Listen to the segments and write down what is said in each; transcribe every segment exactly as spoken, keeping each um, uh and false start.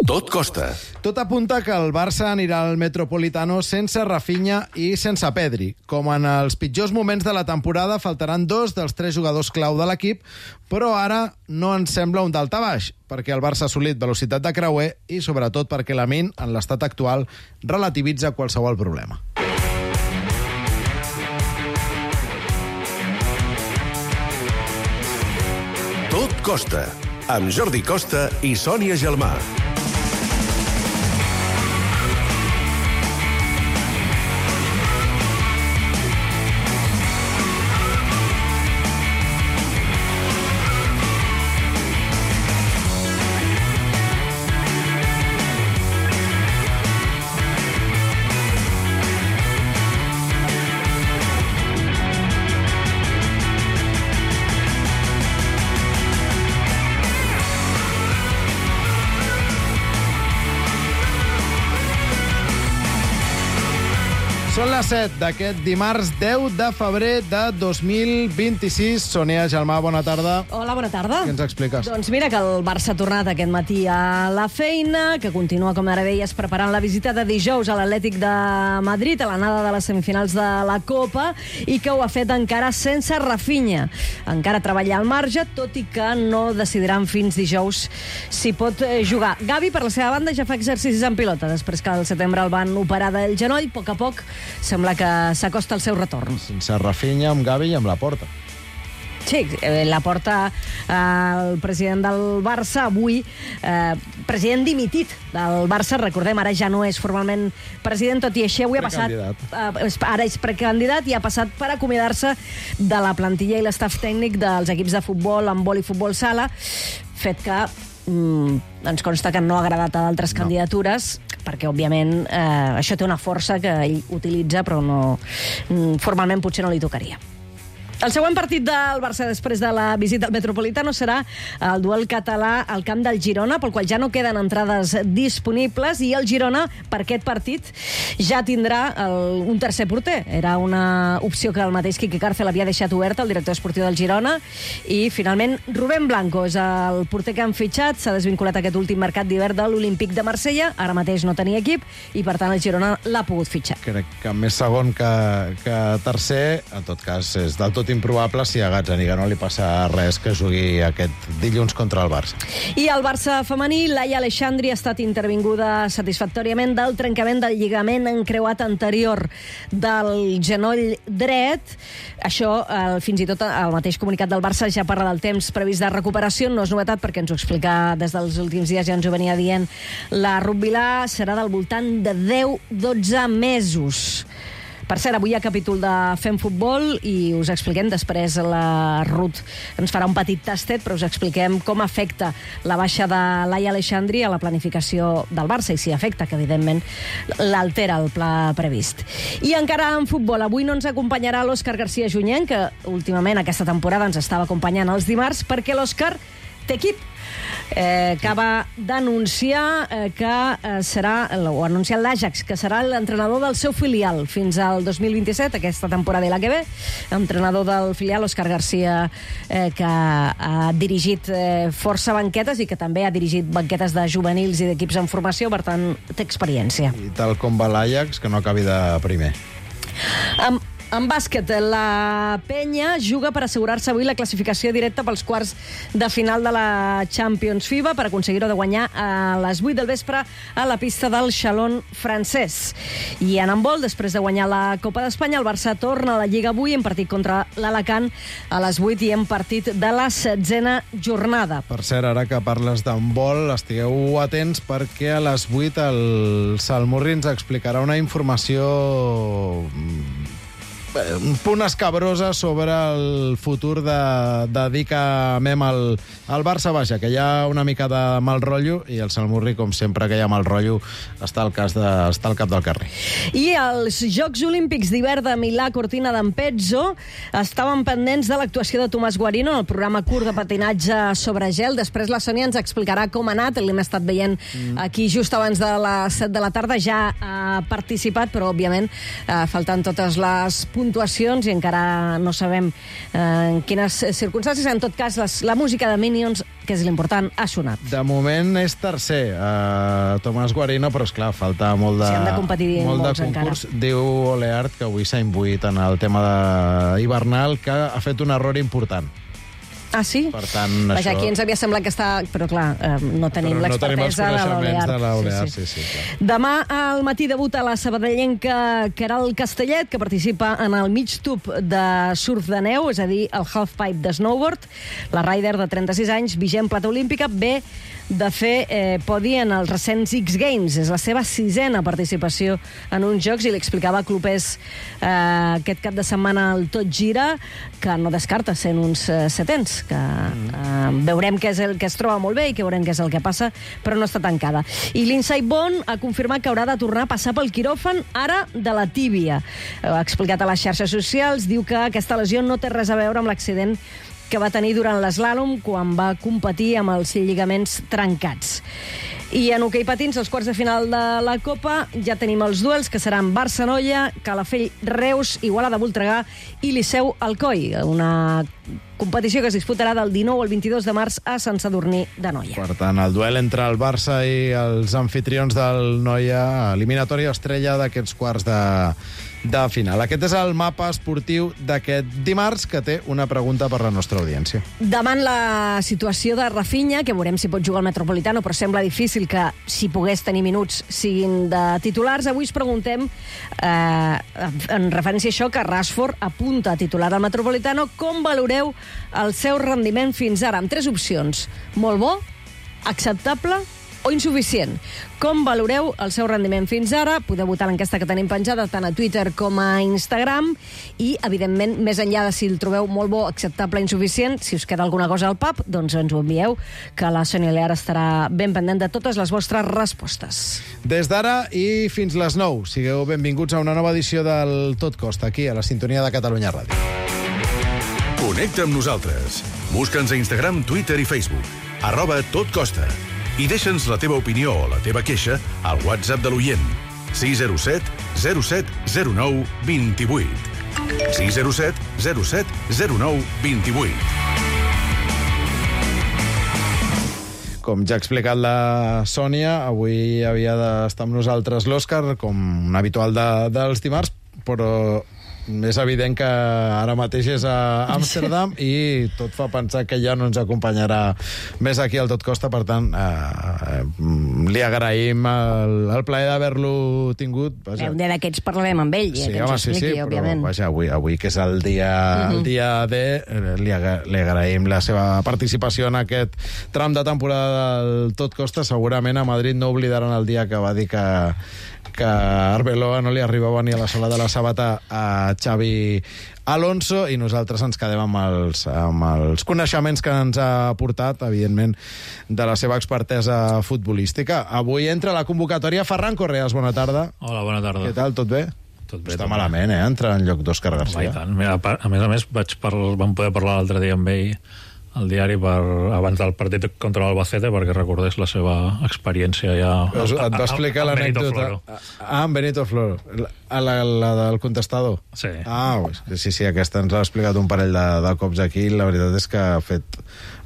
Tot costa. Tot apunta que el Barça anirà al Metropolitano sense Rafinha i sense Pedri. Com en els pitjors moments de la temporada, faltaran dos dels tres jugadors clau de l'equip, però ara no ens sembla un daltabaix, perquè el Barça ha assolit velocitat de creuer i, sobretot, perquè Lamine, en l'estat actual, relativitza qualsevol problema. Tot costa, amb Jordi Costa i Sònia Gelmà. Són les set d'aquest dimarts deu de febrer de dos mil vint-i-sis. Sònia Gelmà, bona tarda. Hola, bona tarda. Què ens expliques? Doncs mira que el Barça ha tornat aquest matí a la feina, que continua, com ara deies, preparant la visita de dijous a l'Atlètic de Madrid, a l'anada de les semifinals de la Copa, i que ho ha fet encara sense Rafinha. Encara treballa al marge, tot i que no decidiran fins dijous si pot jugar. Gavi, per la seva banda, ja fa exercicis en pilota, després que al setembre el van operar del genoll. A poc a poc sembla que s'acosta el seu retorn. Sense Rafinha, amb Gavi i amb Laporta. Sí, eh, Laporta, eh, el president del Barça, avui, eh, president dimitit del Barça, recordem, ara ja no és formalment president, tot i així avui ha passat... Eh, ara és precandidat i ha passat per acomiadar-se de la plantilla i l'estaf tècnic dels equips de futbol, handbol i futbol sala, fet que mm, ens consta que no ha agradat a d'altres no. candidatures, perquè, òbviament, eh, això té una força que ell utilitza, però no, formalment potser no li tocaria. El següent partit del Barça després de la visita al Metropolitano serà el duel català al camp del Girona, pel qual ja no queden entrades disponibles, i el Girona, per aquest partit, ja tindrà el, un tercer porter. Era una opció que el mateix Quique Cárcel havia deixat oberta, el director esportiu del Girona, i finalment Rubén Blanco és el porter que han fitxat. S'ha desvinculat aquest últim mercat d'hivern de l'Olímpic de Marsella, ara mateix no tenia equip, i per tant el Girona l'ha pogut fitxar. Crec que més segon que, que tercer, en tot cas, és del tot improbable si a Gazzaniga no li passa res que jugui aquest dilluns contra el Barça. I el Barça femení, Laia Aleixandri ha estat intervinguda satisfactòriament del trencament del lligament encreuat anterior del genoll dret. Això, eh, fins i tot el mateix comunicat del Barça ja parla del temps previst de recuperació. No és novetat perquè ens ho explica des dels últims dies, ja ens ho venia dient la Ruth Vilà, serà del voltant de deu dotze mesos. Per cert, avui hi ha capítol de Fem Futbol i us expliquem, després la Ruth ens farà un petit tastet, però us expliquem com afecta la baixa de Laia Aleixandri a la planificació del Barça, i si afecta, que evidentment l'altera el pla previst. I encara en futbol, avui no ens acompanyarà l'Òscar García Junyent, que últimament aquesta temporada ens estava acompanyant els dimarts, perquè l'Òscar té equip. Eh, que va denunciar eh, que eh, serà, o anunciar l'Ajax, que serà l'entrenador del seu filial fins al dos mil vint-i-set, aquesta temporada i la que ve. Entrenador del filial, Òscar García, eh, que ha dirigit eh, força banquetes i que també ha dirigit banquetes de juvenils i d'equips en formació, per tant, té experiència. I tal com va l'Ajax, que no acabi de primer. Amb En bàsquet, la Penya juga per assegurar-se avui la classificació directa pels quarts de final de la Champions FIBA, per aconseguir-ho de guanyar a les vuit del vespre a la pista del Xalón francès. I en handbol, després de guanyar la Copa d'Espanya, el Barça torna a la Lliga avui en partit contra l'Alacant a les vuit i en partit de la setzena jornada. Per cert, ara que parles d'handbol, estigueu atents perquè a les vuit el Salmurri ens explicarà una informació un punt escabrosa sobre el futur de, de dir que amem el, el Barça. Vaja, que hi ha una mica de mal rotllo, i el Salmurri, com sempre que hi ha mal rotllo, està al, cas de, està al cap del carrer. I els Jocs Olímpics d'hivern de Milà Cortina d'Ampezzo estaven pendents de l'actuació de Tomàs Guarino en el programa curt de patinatge sobre gel. Després la Sònia ens explicarà com ha anat. L'hem estat veient mm. aquí just abans de les set de la tarda. Ja ha participat, però, òbviament, eh, faltant totes les possibilitats puntuacions i encara no sabem eh, en quines circumstàncies. En tot cas, les, la música de Minions, que és l'important, ha sonat. De moment és tercer, uh, Tomàs Guarino, però esclar, falta molt de, sí, han de competir molt molts de concurs. encara. Diu Oleart que avui s'ha imbuït en el tema de hivernal, que ha fet un error important. Ah, sí? Per tant, Vaja, això... aquí ens havia semblat que està... Però, clar, eh, no tenim Però no tenim els l'expertesa de coneixements de l'Oleart. l'Oleart, sí, sí, clar. Demà al matí debuta la sabadellenca Queralt Castellet, que participa en el mig tub de surf de neu, és a dir, el halfpipe de snowboard. La rider de trenta-sis anys, vigent plata olímpica, ve de fer eh, podi en els recents X Games. És la seva sisena participació en uns jocs i li explicava a Clopés eh, aquest cap de setmana al Tot Gira que no descarta sent uns eh, setens, que eh, veurem què és el que es troba molt bé i que veurem què és el que passa, però no està tancada. I l'Inside Bond ha confirmat que haurà de tornar a passar pel quiròfan ara de la tíbia. Ha explicat a les xarxes socials, diu que aquesta lesió no té res a veure amb l'accident que va tenir durant l'eslàlom quan va competir amb els lligaments trencats. I en hoquei patins, als quarts de final de la Copa, ja tenim els duels, que seran Barça-Noia, Calafell, Reus, Igualada, Voltregà i Liceu Alcoi, una competició que es disputarà del dinou al vint-i-dos de març a Sant Sadurní de Noia. Per tant, el duel entre el Barça i els anfitrions del Noia, eliminatòria estrella d'aquests quarts de, de final. Aquest és el mapa esportiu d'aquest dimarts, que té una pregunta per la nostra audiència. Davant la situació de Rafinha, que veurem si pot jugar al Metropolitano, però sembla difícil que, si pogués tenir minuts, siguin de titulars, avui us preguntem, eh, en referència a això, que Rashford apunta a titular al Metropolitano, com valoreu el seu rendiment fins ara? Amb tres opcions: molt bo, acceptable o insuficient. Com valoreu el seu rendiment fins ara? Podeu votar l'enquesta que tenim penjada tant a Twitter com a Instagram i, evidentment, més enllà de si el trobeu molt bo, acceptable, insuficient, si us queda alguna cosa al pap, doncs ens ho envieu, que la Sònia Lear estarà ben pendent de totes les vostres respostes. Des d'ara i fins les nou, sigueu benvinguts a una nova edició del Tot Costa, aquí, a la sintonia de Catalunya Ràdio. Connecta amb nosaltres. Busca'ns a Instagram, Twitter i Facebook. Arroba Tot Costa. I deixa'ns la teva opinió o la teva queixa al WhatsApp de l'oient. sis zero set zero set zero nou dos vuit. sis zero set zero set zero nou dos vuit. Com ja ha explicat la Sònia, avui havia d'estar amb nosaltres l'Òscar, com habitual de, dels dimarts, però és evident que ara mateix és a Amsterdam i tot fa pensar que ja no ens acompanyarà més aquí al Tot Costa, per tant eh, li agraïm el, el plaer d'haver-lo tingut. Vaja. Un dia d'aquests parlarem amb ell, Sí, que ens home, ho sí, expliqui, sí, òbviament. però vaja, avui, avui que és el dia, Mhm. el dia D, eh, li, aga- li agraïm la seva participació en aquest tram de temporada del Tot Costa. Segurament a Madrid no oblidaran el dia que va dir que que a Arbeloa no li arribava ni a la sola de la sabata a Xavi Alonso, i nosaltres ens quedem amb els, amb els coneixements que ens ha portat, evidentment, de la seva expertesa futbolística. Avui entra a la convocatòria Ferran Correas. Bona tarda. Hola, bona tarda. Què tal, tot bé? Tot bé, Està tot bé. malament, eh? Entra en lloc d'Òscar Home, i Garcia. tant. Mira, a par- a més a més, vaig par... vam poder parlar l'altre dia amb ell al diari per, abans del partit contra l'Albacete, perquè recordés la seva experiència ja... Et va explicar amb Benito l'anècdota... Floro. Ah, amb Benito Floro. La, la, la del contestador. Sí. Ah, sí, sí, aquesta ens l'ha explicat un parell de, de cops aquí. La veritat és que ha fet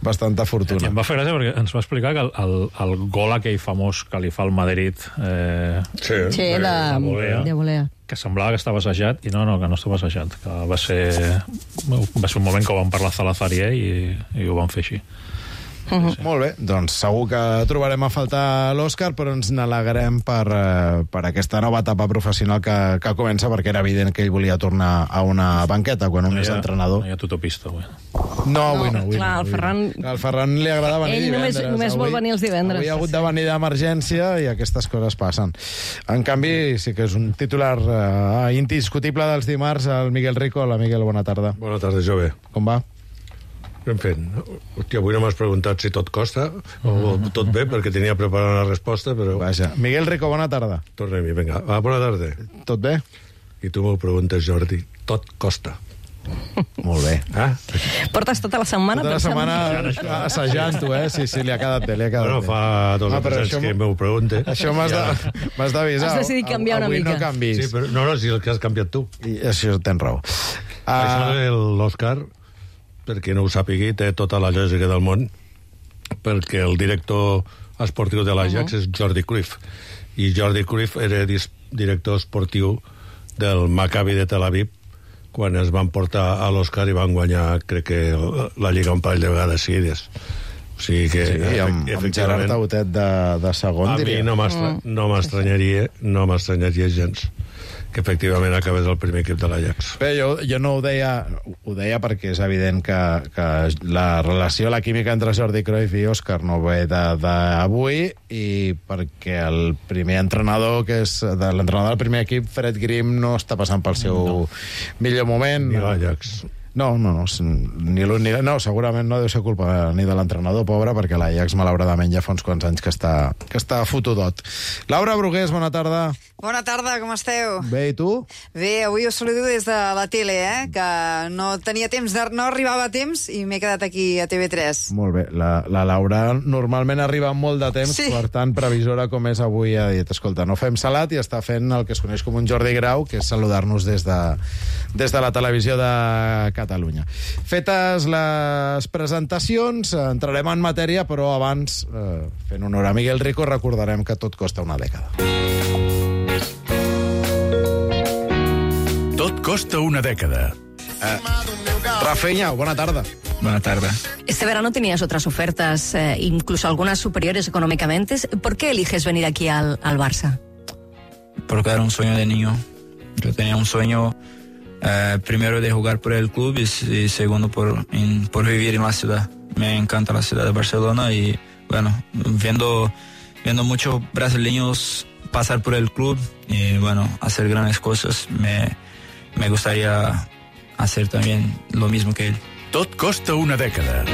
bastanta I fortuna. em va fer gràcia perquè ens va explicar que el, el, el gol aquell famós que li fa el Madrid, eh, Sí, Sí, de, de volea. de volea. que semblava que estava assajat, i no, no, que no estava assajat, que va ser, va ser un moment que ho van parlar Salazar i ell i, i ho van fer així. Uh-huh. Sí. Molt bé, doncs segur que trobarem a faltar l'Òscar, però ens n'alegrem per, eh, per aquesta nova etapa professional que, que comença, perquè era evident que ell volia tornar a una banqueta quan un No és hi ha- entrenador. No hi ha tutopista, avui. No, avui no. Avui clar, no, el avui Ferran- No. Al Ferran li agrada venir Ell només- divendres. només vol Avui- venir els divendres. Avui ha hagut de venir d'emergència i aquestes coses passen. En canvi, sí que és un titular uh, indiscutible dels dimarts, el Miguel Rico. Hola, Miguel, bona tarda. Bona tarda, jove. Com va? Ben fet. Hòstia, avui no m'has preguntat si tot costa o tot bé, perquè tenia preparada la resposta, però... Vaja. Miguel Rico, bona tarda. Tornem-hi, vinga. Va, bona tarda. Tot bé? I tu m'ho preguntes, Jordi. Tot costa. Molt bé. Ah? Portes tota la setmana Tota la pensant- setmana assajant-ho, eh? Sí, sí, li ha quedat bé, li ha quedat Bueno, bé. fa dos Ah, o però tres això anys que m'ho- m'ho pregunte. Això m'has de- m'has d'avisar. Has decidit canviar una Avui mica. no canvis. Sí, però, no, no, si el que has canviat tu. I això tens raó. Això Uh, l'Òscar, per qui no ho sàpigui, té tota la lògica del món, perquè el director esportiu de l'Ajax uh -huh. és Jordi Cruyff. I Jordi Cruyff era dis- director esportiu del Maccabi de Tel Aviv quan es van portar a l'Òscar i van guanyar, crec que, la Lliga un parell de vegades seguides. O sigui que... sí, amb, amb Gerard Tautet de, de segon, a diria. mi no m'estra- no m'estranyaria no m'estranyaria gens que efectivament acabés el primer equip de l'Ajax. Bé, jo, jo no ho deia, ho deia perquè és evident que, que la relació, la química entre Jordi Cruyff i Òscar no ve d'avui, i perquè el primer entrenador, que és de l'entrenador del primer equip, Fred Grimm, no està passant pel seu no. millor moment. Ni l'Ajax. No, no, no, ni l'un ni no, segurament no deu ser culpa ni de l'entrenador, pobre, perquè l'Ajax, malauradament, ja fa uns quants anys que està, que està fotudot. Laura Brugués, bona tarda. Bona tarda, com esteu? Bé, i tu? Bé, avui us saludo des de la tele, eh? Que no tenia temps, de, no arribava a temps i m'he quedat aquí a T V tres. Molt bé, la, la Laura normalment arriba amb molt de temps, Sí. per tant, previsora com és avui, ha dit, escolta, no fem salat, i està fent el que es coneix com un Jordi Grau, que és saludar-nos des de, des de la televisió de Catalunya. Fetes les presentacions, entrarem en matèria, però abans, eh, fent honor a Miguel Rico, recordarem que tot costa una dècada. Tot costa una dècada. Rafinha, bona tarda. Buenas tardes. Este verano tenías otras ofertas, eh, incluso algunas superiores económicamente. ¿Por qué eliges venir aquí al, al Barça? Porque era un sueño de niño. Yo tenía un sueño, eh, primero de jugar por el club y, y segundo por, en, por vivir en la ciudad. Me encanta la ciudad de Barcelona y, bueno, viendo, viendo muchos brasileños pasar por el club y, bueno, hacer grandes cosas, me, me gustaría hacer también lo mismo que él. Tot costa una dècada.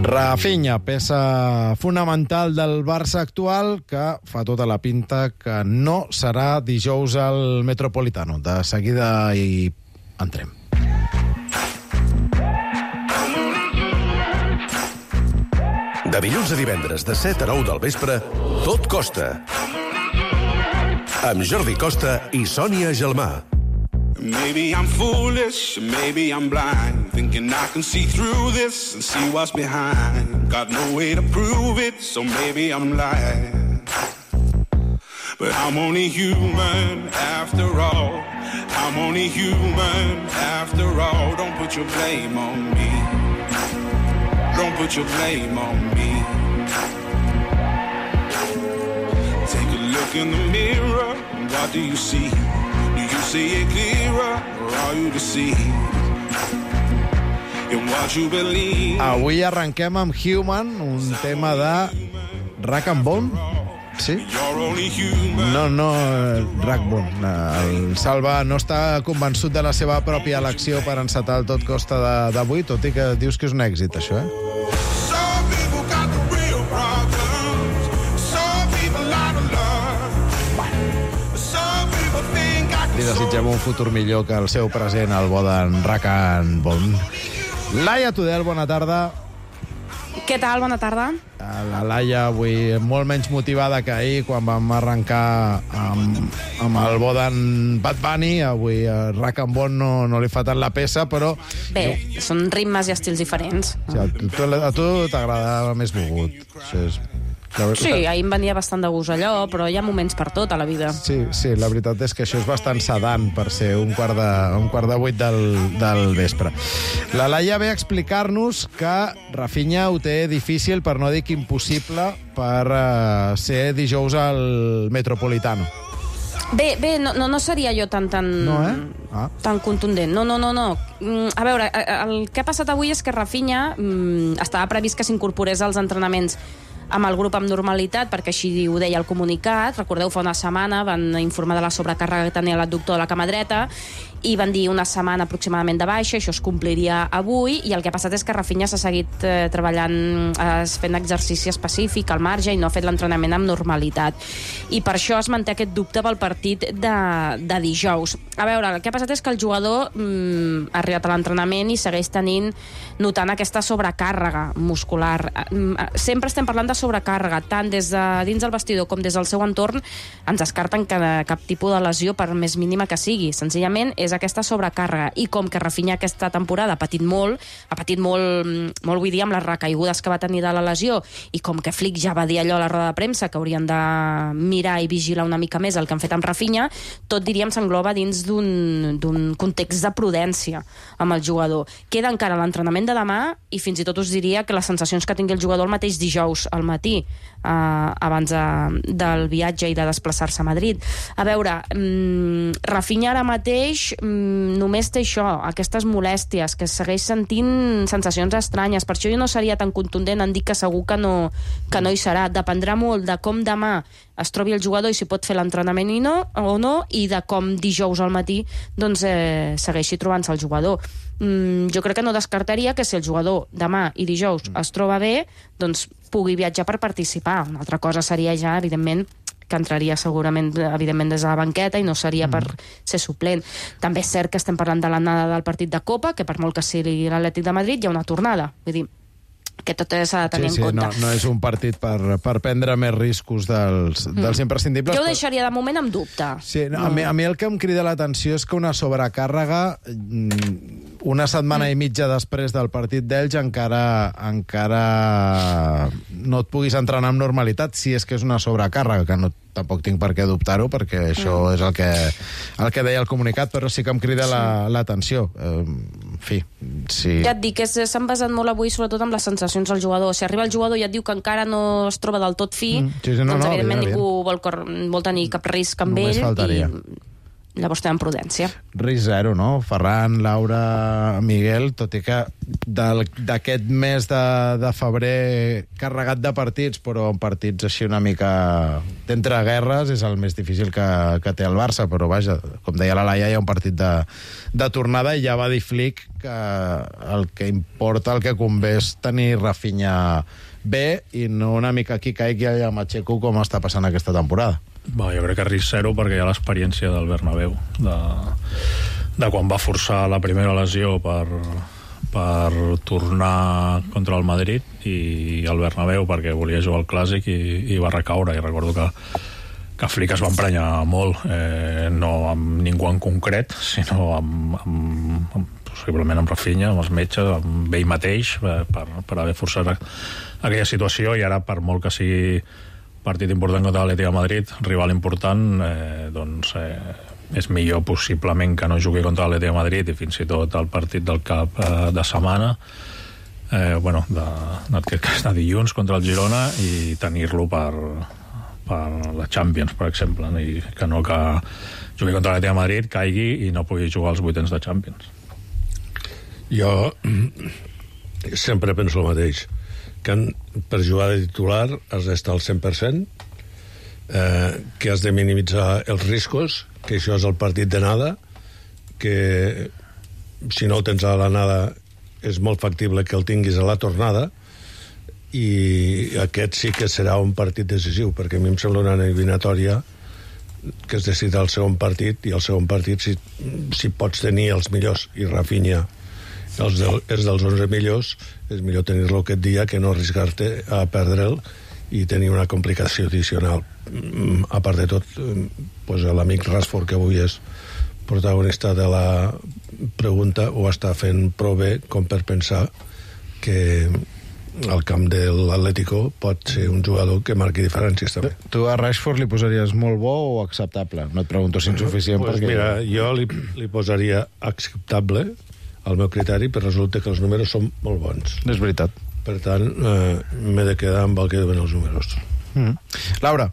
Rafinha, peça fonamental del Barça actual, que fa tota la pinta que no serà dijous al Metropolitano. De seguida hi entrem. De dilluns a divendres, de set a nou del vespre, Tot costa. Amb Jordi Costa i Sònia Gelmà. Maybe I'm foolish, maybe I'm blind, thinking I can see through this and see what's behind. Got no way to prove it, so maybe I'm lying. But I'm only human after all. I'm only human after all. Don't put your blame on me. Don't put your blame on me. Take a look in the mirror, what do you see? Do you see it clearer, or are you deceived in what you believe? Avui arrenquem amb Human, un tema de Rack and Bone. Sí? You're only human. No, no, eh, Rackbone. El Salva no està convençut de la seva pròpia elecció per encetar el Tot costa de- d'avui, tot i que dius que és un èxit, això, eh? Some people got the real problems. Some people out of love. Some people think I can Li desitgem un futur millor que el seu present, el bo d'en Rack and Bone. Laia Tudel, bona tarda. Què tal? Bona tarda. La Laia avui molt menys motivada que ahir quan vam arrencar amb, amb el bo d'en Bad Bunny. Avui a Rack and Bone no, no li fa tant la peça, però Bé, són ritmes i estils diferents. o sigui, a tu, a tu t'agradava més mogut. Això és... La veritat- Sí, ahir em venia bastant de gust allò, però hi ha moments per tot a la vida. Sí, sí, la veritat és que això és bastant sedant per ser un quart de, un quart de vuit del, del vespre. La Laia ve a explicar-nos que Rafinha ho té difícil, per no dir que impossible, per uh, ser dijous al Metropolitano. Bé, bé, no, no, no seria jo tan, tan, No, eh? Ah. tan contundent. No, no, no, no. Mm, A veure, el que ha passat avui és que Rafinha mm, estava previst que s'incorporés als entrenaments amb el grup amb normalitat, perquè així ho deia el comunicat. Recordeu, fa una setmana van informar de la sobrecàrrega que tenia l'adductor de la cama dreta i van dir una setmana aproximadament de baixa, això es compliria avui, i el que ha passat és que Rafinha s'ha seguit eh, treballant, eh, fent exercici específic al marge i no ha fet l'entrenament amb normalitat. I per això es manté aquest dubte pel partit de, de dijous. A veure, el que ha passat és que el jugador mm, ha arribat a l'entrenament i segueix tenint, notant aquesta sobrecàrrega muscular. Sempre estem parlant de sobrecàrrega, tant des de dins del vestidor com des del seu entorn ens descarten que cap tipus de lesió, per més mínima que sigui. Senzillament és aquesta sobrecàrrega. I com que Rafinha aquesta temporada ha patit molt, ha patit molt, molt vull dir, amb les recaigudes que va tenir de la lesió, i com que Flick ja va dir allò a la roda de premsa, que haurien de mirar i vigilar una mica més el que han fet amb Rafinha, tot, diríem, s'engloba dins d'un context de prudència amb el jugador. Queda encara l'entrenament de demà i fins i tot us diria que les sensacions que tingui el jugador el mateix dijous al matí, eh, abans de, del viatge i de desplaçar-se a Madrid. A veure, mmm, Rafinha ara mateix mmm, només té això, aquestes molèsties, que segueix sentint sensacions estranyes. Per això jo no seria tan contundent en dir que segur que no, que no hi serà. Dependrà molt de com demà es trobi el jugador i si pot fer l'entrenament i no, o no, i de com dijous al matí doncs, eh, segueixi trobant-se el jugador. Mm, jo crec que no descartaria que si el jugador demà i dijous es troba bé, doncs pugui viatjar per participar. Una altra cosa seria ja, evidentment, que entraria segurament, evidentment, des de la banqueta i no seria per ser suplent. També és cert que estem parlant de l'anada del partit de Copa, que per molt que sigui l'Atlètic de Madrid hi ha una tornada. Vull dir, que tot s'ha de tenir sí, sí, en compte. No, no és un partit per, per prendre més riscos dels, mm. dels imprescindibles. Jo ho deixaria de moment amb dubte. Sí, no, a, mi, a mi el que em crida l'atenció és que una sobrecàrrega, una setmana mm. i mitja després del partit d'Elx, encara, encara no et puguis entrenar amb normalitat, si és que és una sobrecàrrega, que no, tampoc tinc per què dubtar-ho, perquè això mm. és el que, el que deia el comunicat, però sí que em crida sí. l'atenció. La, en fi, sí. Ja et dic, s'han basat molt avui sobretot amb les sensacions del jugador. Si arriba el jugador i et diu que encara no es troba del tot fi, mm. sí, sí, no, doncs no, evidentment bien, ningú vol, vol tenir cap risc amb només ell faltaria. I llavors tenen prudència. Risc zero, no? Ferran, Laura, Miguel, tot i que d'aquest mes de, de febrer carregat de partits, però en partits així una mica d'entre guerres, és el més difícil que, que té el Barça, però vaja, com deia la Laia, hi ha un partit de, de tornada i ja va dir Flick que el que importa, el que convé és tenir Rafinha bé i no una mica aquí caigui allà a Macheco com està passant aquesta temporada. Bé, jo crec que risc zero perquè hi ha l'experiència del Bernabéu de, de quan va forçar la primera lesió per, per tornar contra el Madrid i el Bernabéu perquè volia jugar al Clàssic i, i va recaure, i recordo que que Flick es va emprenyar molt, eh, no amb ningú en concret, sinó amb, amb, amb possiblement amb Rafinha, amb els metges, amb ell mateix, eh, per, per haver forçat aquella situació, i ara, per molt que sigui partit important contra l'Atlètic de Madrid, rival important, eh, doncs eh, és millor possiblement que no jugui contra l'Atlètic de Madrid i fins i tot el partit del cap eh, de setmana, eh, bueno, de, de, de dilluns contra el Girona, i tenir-lo per, per la Champions, per exemple, i que no que jugui contra l'Atlètic de Madrid, caigui i no pugui jugar als vuitens de Champions. Jo sempre penso el mateix, que per jugar de titular has d'estar al cent per cent, eh, que has de minimitzar els riscos, que això és el partit de nada, que si no el tens a la nada és molt factible que el tinguis a la tornada, i aquest sí que serà un partit decisiu, perquè a mi em sembla una eliminatòria que es decida el segon partit, i el segon partit, si, si pots tenir els millors, i Rafinha els, del, els dels onze millors, és millor tenir-lo aquest dia que no arriscar-te a perdre'l i tenir una complicació addicional. A part de tot, pues, l'amic Rashford, que avui és protagonista de la pregunta, ho està fent prou bé com per pensar que al camp de l'Atlético pot ser un jugador que marqui diferències també. Tu a Rashford li posaries molt bo o acceptable? No et pregunto si insuficient, pues perquè... Mira, jo li, li posaria acceptable al meu criteri, però resulta que els números són molt bons. És veritat. Per tant, eh, m'he de quedar amb el que diuen els números. Mm. Laura.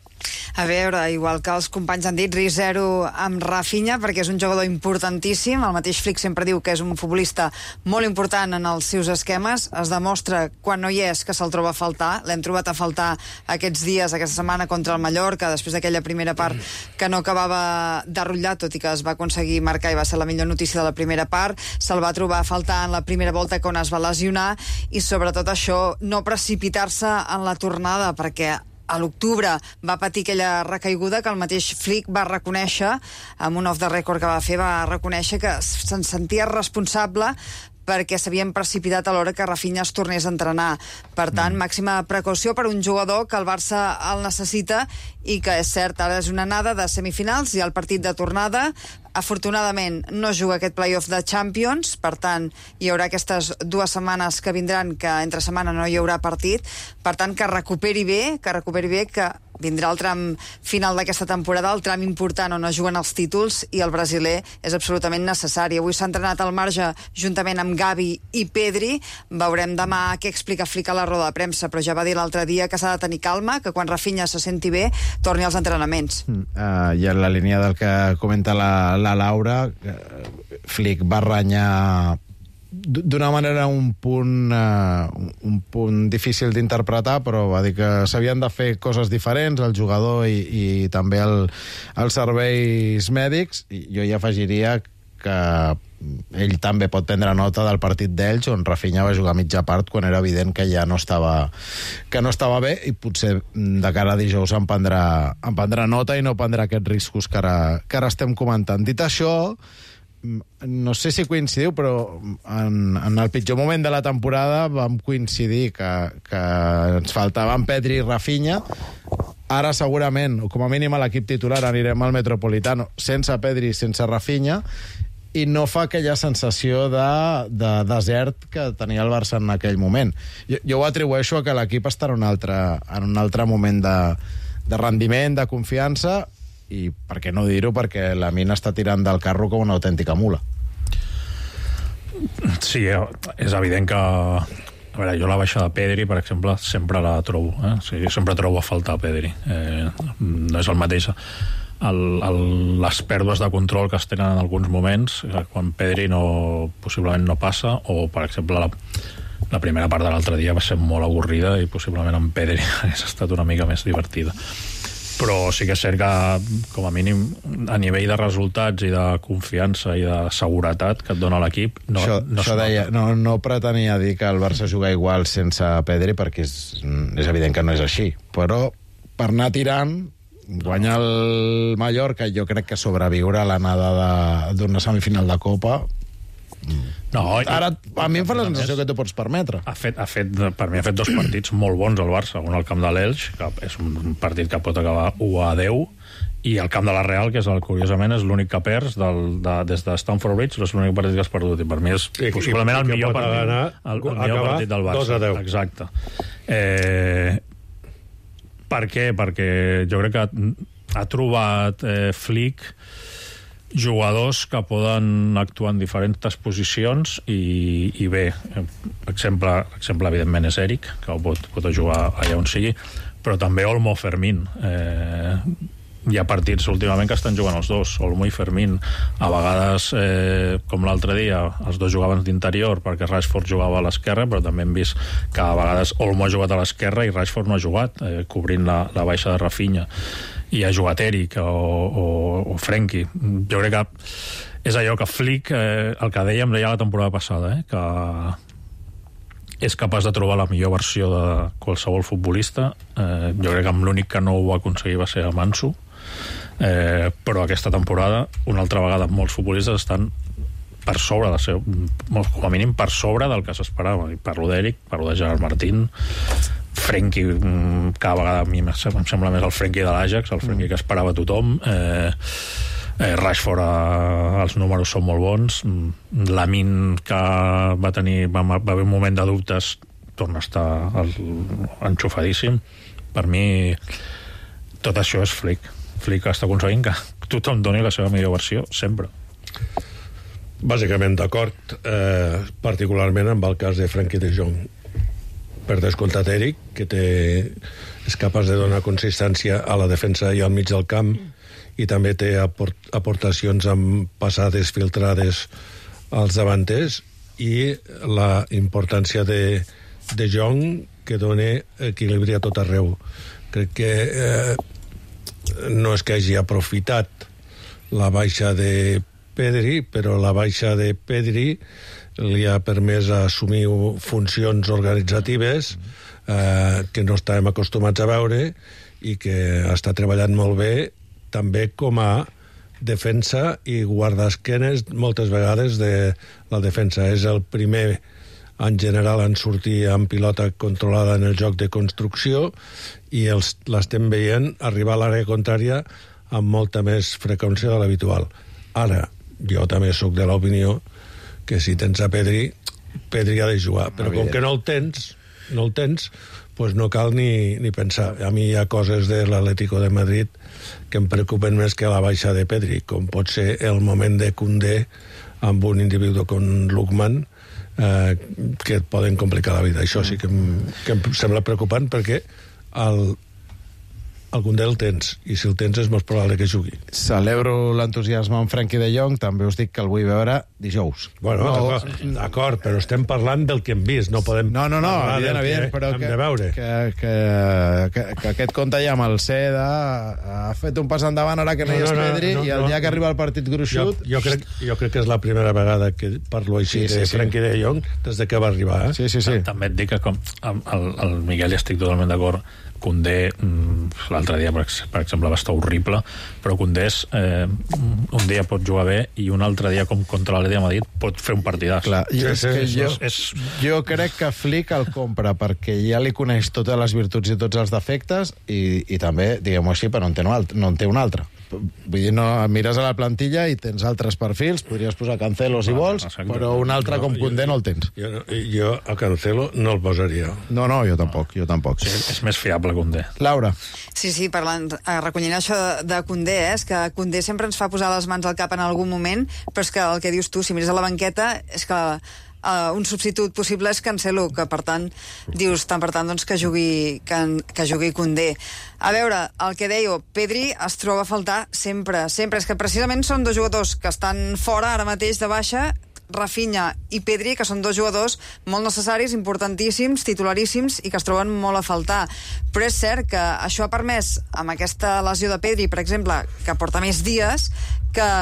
A veure, igual que els companys han dit, risc zero amb Rafinha, perquè és un jugador importantíssim. El mateix Flick sempre diu que és un futbolista molt important en els seus esquemes. Es demostra, quan no hi és, que se'l troba a faltar. L'hem trobat a faltar aquests dies, aquesta setmana, contra el Mallorca, després d'aquella primera part que no acabava de rotllar, tot i que es va aconseguir marcar i va ser la millor notícia de la primera part. Se'l va trobar a faltar en la primera volta quan es va lesionar, i sobretot això, no precipitar-se en la tornada, perquè a l'octubre va patir aquella recaiguda que el mateix Flick va reconèixer, amb un off the record que va fer, va reconèixer que se'n sentia responsable perquè s'havien precipitat a l'hora que Rafinha es tornés a entrenar. Per tant, màxima precaució per un jugador que el Barça el necessita i que, és cert, ara és una anada de semifinals i el partit de tornada. Afortunadament no juga aquest play-off de Champions, per tant hi haurà aquestes dues setmanes que vindran, que entre setmana no hi haurà partit, per tant que recuperi bé, que recuperi bé, que vindrà el tram final d'aquesta temporada, el tram important on es juguen els títols, i el brasiler és absolutament necessari. Avui s'ha entrenat al marge juntament amb Gavi i Pedri. Veurem demà què explica Flick a la roda de premsa, però ja va dir l'altre dia que s'ha de tenir calma, que quan Rafinha se senti bé torni als entrenaments. Mm, uh, I en la línia del que comenta la, la Laura, uh, Flick va renyar d'una manera un punt uh, un punt difícil d'interpretar, però va dir que s'havien de fer coses diferents, el jugador i, i també el, els serveis mèdics. I jo hi afegiria que ell també pot prendre nota del partit d'ells, on Rafinha va jugar mitja part quan era evident que ja no estava que no estava bé, i potser de cara a dijous en prendrà, en prendrà nota i no prendrà aquests riscos que ara, que ara estem comentant. Dit això, no sé si coincidiu, però en, en el pitjor moment de la temporada vam coincidir que, que ens faltaven Pedri i Rafinha. Ara segurament, o com a mínim a l'equip titular, anirem al Metropolitano sense Pedri i sense Rafinha, i no fa aquella sensació de, de desert que tenia el Barça en aquell moment. Jo, jo ho atribueixo a que l'equip està en un altre, en un altre moment de, de rendiment, de confiança, i per què no dir-ho, perquè la mina està tirant del carro com una autèntica mula. Sí, és evident que... A veure, jo la baixa de Pedri, per exemple, sempre la trobo. Eh? O sigui, sempre trobo a faltar Pedri. Eh, no és el mateix. El, el, les pèrdues de control que es tenen en alguns moments, eh, quan Pedri no, possiblement no passa, o, per exemple, la, la primera part de l'altre dia va ser molt avorrida i possiblement amb Pedri hagués estat una mica més divertida. Però sí que és cert que, com a mínim, a nivell de resultats i de confiança i de seguretat que et dona l'equip, no, això, no, això deia, no, no pretenia dir que el Barça juga igual sense Pedri, perquè és, és evident que no és així. Però per anar tirant, guanya el Mallorca, i jo crec que sobreviure a l'anada d'una semifinal de Copa... No, ara a mi em fa la sensació que t'ho pots permetre. Ha fet, ha fet, per mi ha fet dos partits molt bons al Barça. Un al camp de l'Elx, que és un partit que pot acabar u a deu, i el camp de la Real, que és el, curiosament és l'únic que perds del, de, des de Stamford Bridge, és l'únic partit que has perdut, i per mi és I, possiblement i, el, millor partit, anar, el, el millor partit del Barça. dos a deu. Exacte. Eh, per què? Perquè jo crec que ha trobat eh, Flick jugadors que poden actuar en diferents posicions i, i bé, exemple, exemple evidentment és Eric, que pot, pot jugar allà on sigui, però també Olmo, Fermín. Eh, hi ha partits últimament que estan jugant els dos, Olmo i Fermín. A vegades, eh, com l'altre dia, els dos jugaven d'interior perquè Rashford jugava a l'esquerra, però també hem vist que a vegades Olmo ha jugat a l'esquerra i Rashford no ha jugat, eh, cobrint la, la baixa de Rafinha. I ha jugat Eric o, o, o Frenkie. Jo crec que és allò que Flick, eh, el que dèiem deia la temporada passada, eh, que és capaç de trobar la millor versió de qualsevol futbolista. Eh, jo crec que amb l'únic que no ho va aconseguir va ser a Manso, eh, però aquesta temporada, una altra vegada, molts futbolistes estan per sobre de ser, com a mínim per sobre del que s'esperava. Parlo d'Eric, parlo de Gerard Martín, Frenkie, cada vegada a mi em sembla més el Frenkie de l'Ajax, el Frenkie que esperava tothom. eh, eh, Rashford, eh, els números són molt bons. Lamine, que va tenir va, va haver un moment de dubtes, torna a estar el, enxufadíssim. Per mi tot això és Flick. Flick està aconseguint que tothom doni la seva millor versió sempre. Bàsicament d'acord, eh, particularment amb el cas de Frenkie de Jong. per descomptat Eric, que té, és capaç de donar consistència a la defensa i al mig del camp, i també té aport, aportacions amb passades filtrades als davanters, i la importància de, de Jong, que dona equilibri a tot arreu. Crec que eh, no és que hagi aprofitat la baixa de Pedri, però la baixa de Pedri li ha permès assumir funcions organitzatives eh, que no estàvem acostumats a veure, i que està treballant molt bé també com a defensa i guardaesquenes moltes vegades de la defensa. És el primer en general en sortir amb pilota controlada en el joc de construcció, i els, l'estem veient arribar a l'àrea contrària amb molta més freqüència de l'habitual. Ara, jo també sóc de l'opinió que si tens a Pedri, Pedri ha de jugar, però com que no el tens, no el tens, pues no cal ni, ni pensar. A mi hi ha coses de l'Atlético de Madrid que em preocupen més que la baixa de Pedri, com pot ser el moment de Koundé amb un individu com Lookman, eh, que et poden complicar la vida. Això sí que em, que em sembla preocupant, perquè el el Koundé el tens, i si el tens és més probable que jugui. Celebro l'entusiasme amb Frenkie de Jong, també us dic que el vull veure dijous. Bueno, no, d'acord, però estem parlant del que hem vist, no podem no, no, no, parlar evident, del evident, que però hem que, de veure. Que, que, que, que aquest compte ja amb el Seda ha fet un pas endavant ara que no, no hi és Pedri, no, no, i el dia no, que arriba el partit gruixut... Jo, jo, crec, jo crec que és la primera vegada que parlo així sí, sí, de Frenkie sí. de Jong des de que va arribar. Eh? Sí, sí, sí. També et dic que com el, el Miguel, estic totalment d'acord. Koundé, l'altre dia, per exemple, va estar horrible, però Koundé és, eh, un dia pot jugar bé i un altre dia, com contra l'Atlètic de Madrid, pot fer un partidàs. Clar, jo, és que jo, és... jo crec que Flick el compra perquè ja li coneix totes les virtuts i tots els defectes, i, i també, diguem-ho així, però no en té un altre, no en té un altre. Vull dir, no, mires a la plantilla i tens altres perfils, podries posar Cancelo si vols, però un altre no, com Koundé no el tens. Jo, jo a Cancelo no el posaria. No, no, jo tampoc, jo tampoc. Sí, és més fiable Koundé. Laura. Sí, sí, parlant, recollint això de, de Koundé, eh, és que Koundé sempre ens fa posar les mans al cap en algun moment, però és que el que dius tu, si mires a la banqueta, és que Uh, un substitut possible és Cancelo, que per tant dius, tant per tant doncs, que jugui que, que jugui Koundé. A veure, el que deia, Pedri es troba a faltar sempre, sempre. És que precisament són dos jugadors que estan fora ara mateix de baixa, Rafinha i Pedri, que són dos jugadors molt necessaris, importantíssims, titularíssims, i que es troben molt a faltar. Però és cert que això ha permès, amb aquesta lesió de Pedri, per exemple, que porta més dies, que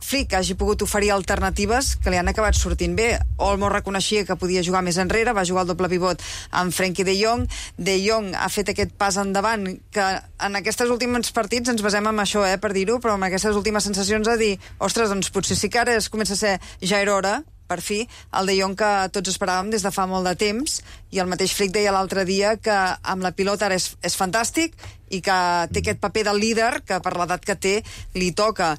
Flick hagi pogut oferir alternatives que li han acabat sortint bé. Olmo reconeixia que podia jugar més enrere, va jugar el doble pivot amb Frenkie de Jong. De Jong ha fet aquest pas endavant, que en aquests últims partits ens basem en això, eh, per dir-ho, però amb aquestes últimes sensacions de dir, ostres, doncs potser sí que ara es comença a ser, ja era hora, per fi, el De Jong que tots esperàvem des de fa molt de temps, i el mateix Flick deia l'altre dia que amb la pilota ara és, és fantàstic, i que té aquest paper del líder que per l'edat que té li toca.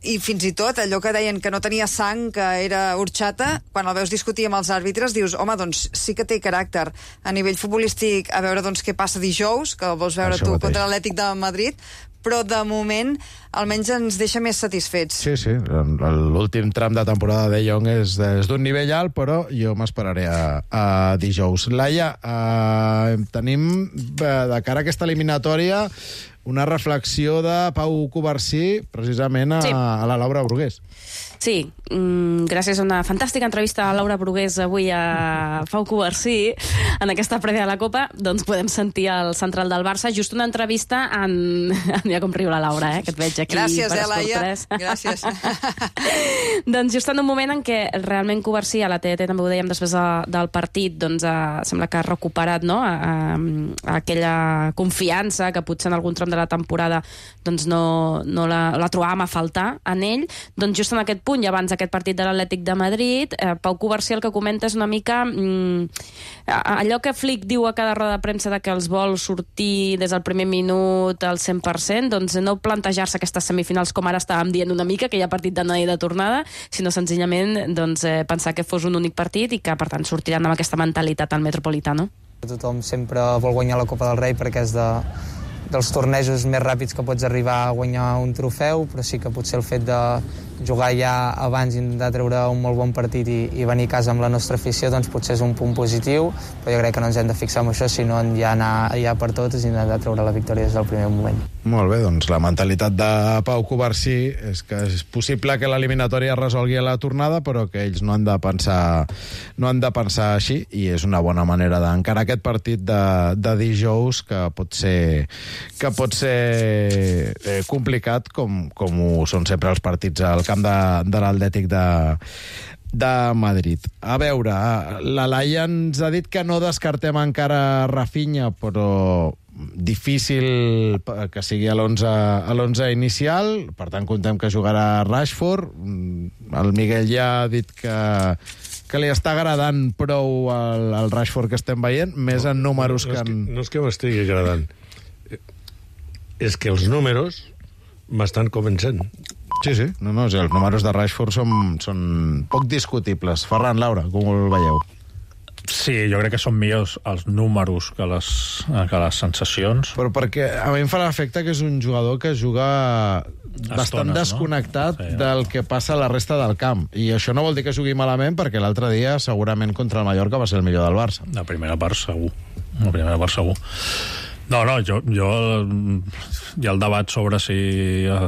I fins i tot allò que deien que no tenia sang, que era horchata, quan el veus discutir amb els àrbitres dius, home, doncs sí que té caràcter. A nivell futbolístic, a veure doncs què passa dijous, que el vols veure Això tu mateix. Contra l'Atlètic de Madrid, però de moment almenys ens deixa més satisfets. Sí, sí, l'últim tram de temporada de Jong és, és d'un nivell alt, però jo m'esperaré a, a dijous. Laia, eh, tenim de cara a aquesta eliminatòria una reflexió de Pau Covarsí precisament a, sí. a la Laura Brugués. Sí, mm, gràcies a una fantàstica entrevista a Laura Brugués avui a Pau Covarsí en aquesta prèvia de la Copa, doncs podem sentir el central del Barça, just una entrevista en... Mira com riu la Laura, eh, que et veig aquí. Gràcies, per eh, Laia. tres. Gràcies. Doncs just en un moment en què realment Covarsí, a la T D T també ho dèiem després de, del partit, doncs eh, sembla que ha recuperat, no?, a, a, a aquella confiança que potser en algun tram de la temporada doncs no, no la, la trobàvem a faltar en ell, doncs just en aquest punt, i abans d'aquest partit de l'Atlètic de Madrid, eh, Pau Covarsí el que comenta és una mica mm, allò que Flick diu a cada roda de premsa de que els vol sortir des del primer minut al cent per cent, doncs no plantejar-se aquestes semifinals com ara estàvem dient una mica, que hi ha partit d'anada i de tornada, sinó senzillament doncs, eh, pensar que fos un únic partit i que per tant sortiran amb aquesta mentalitat al Metropolitano. Tothom sempre vol guanyar la Copa del Rei perquè és de dels tornejos més ràpids que pots arribar a guanyar un trofeu, però sí que potser el fet de jugar ja abans i intentar treure un molt bon partit i, i venir a casa amb la nostra afició, doncs potser és un punt positiu, però jo crec que no ens hem de fixar en això, sinó en ja anar ja per totes i intentar treure la victòria des del primer moment. Molt bé, doncs la mentalitat de Pau Covarsí és que és possible que l'eliminatòria es resolgui a la tornada, però que ells no han de pensar, no han de pensar així, i és una bona manera d'encarar aquest partit de, de dijous, que pot ser, que pot ser eh, complicat, com, com ho són sempre els partits al camp de, de l'Atlètic de, de Madrid. A veure, la Laia ens ha dit que no descartem encara Rafinha, però difícil que sigui a l'onze inicial, per tant contem que jugarà Rashford. El Miguel ja ha dit que, que li està agradant prou el, el Rashford que estem veient, més en números no, no, que en... No és que m'estigui agradant, és que els números m'estan convencent. Sí, sí, no, no, els números de Rashford són, són poc discutibles. Ferran, Laura, com el veieu? Sí, jo crec que són millors els números que les, que les sensacions. Però perquè a mi em fa l'efecte que és un jugador que juga bastant Estones, desconnectat, no? Sí, del que passa a la resta del camp. I això no vol dir que jugui malament, perquè l'altre dia segurament contra el Mallorca va ser el millor del Barça. La primera part segur. La primera part segur. No, no, jo, jo hi ha el debat sobre si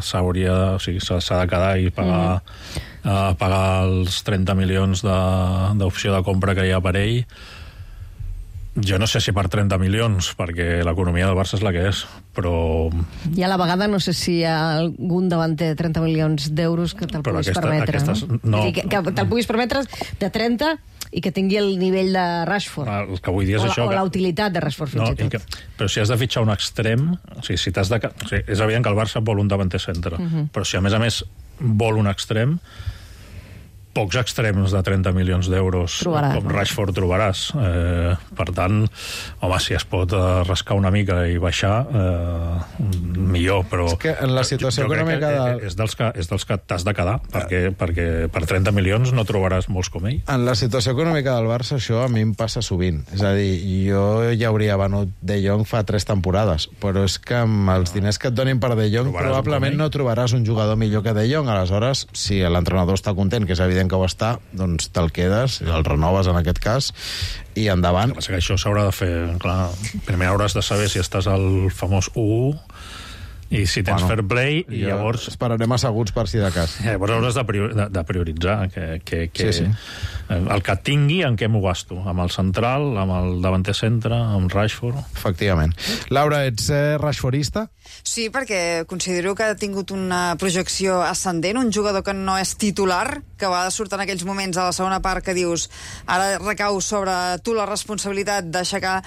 s'hauria, o sigui, s'ha de quedar i pagar, mm. uh, pagar els trenta milions d'opció de, de compra que hi ha per ell. Jo no sé si per trenta milions, perquè l'economia del Barça és la que és, però... I a la vegada no sé si hi ha algun davanter de trenta milions d'euros que te'l puguis aquesta, permetre, aquestes, no? no? Dir, que, que te'l puguis permetre de trenta i que tingui el nivell de Rashford. Ah, el que vull dir és o, això... O que... la utilitat de Rashford, fins no, i tot. Que... Però si has de fitxar un extrem... O sigui, si t'has de... o sigui, és evident que el Barça vol un davanter centre, uh -huh. però si a més a més vol un extrem, pocs extrems de trenta milions d'euros com Rashford trobaràs. Eh, per tant, home, si es pot eh, rascar una mica i baixar, eh, millor, però... És que en la situació jo, jo econòmica... De... És dels que, és dels que t'has de quedar, perquè, perquè per trenta milions no trobaràs molts com ell. En la situació econòmica del Barça, això a mi em passa sovint. És a dir, jo ja hauria venut De Jong fa tres temporades, però és que amb els diners que et donin per De Jong trobaràs probablement no trobaràs un jugador millor que De Jong. Aleshores, si l'entrenador està content, que és evident que ho està, doncs te'l quedes, el renoves en aquest cas, i endavant. El que passa que això s'haurà de fer, clar, primer hauràs de saber si estàs al famós u u i si tens bueno, fair play, i llavors... Esperarem asseguts per si de cas. Llavors hauràs de, prior, de, de prioritzar que, que, que sí, sí. el que tingui, en què m'ho gasto, amb el central, amb el davanter centre, amb Rashford. Efectivament. Laura, ets eh, rashfordista? Sí, perquè considero que ha tingut una projecció ascendent, un jugador que no és titular, que va sortir en aquells moments a la segona part que dius ara recau sobre tu la responsabilitat d'aixecar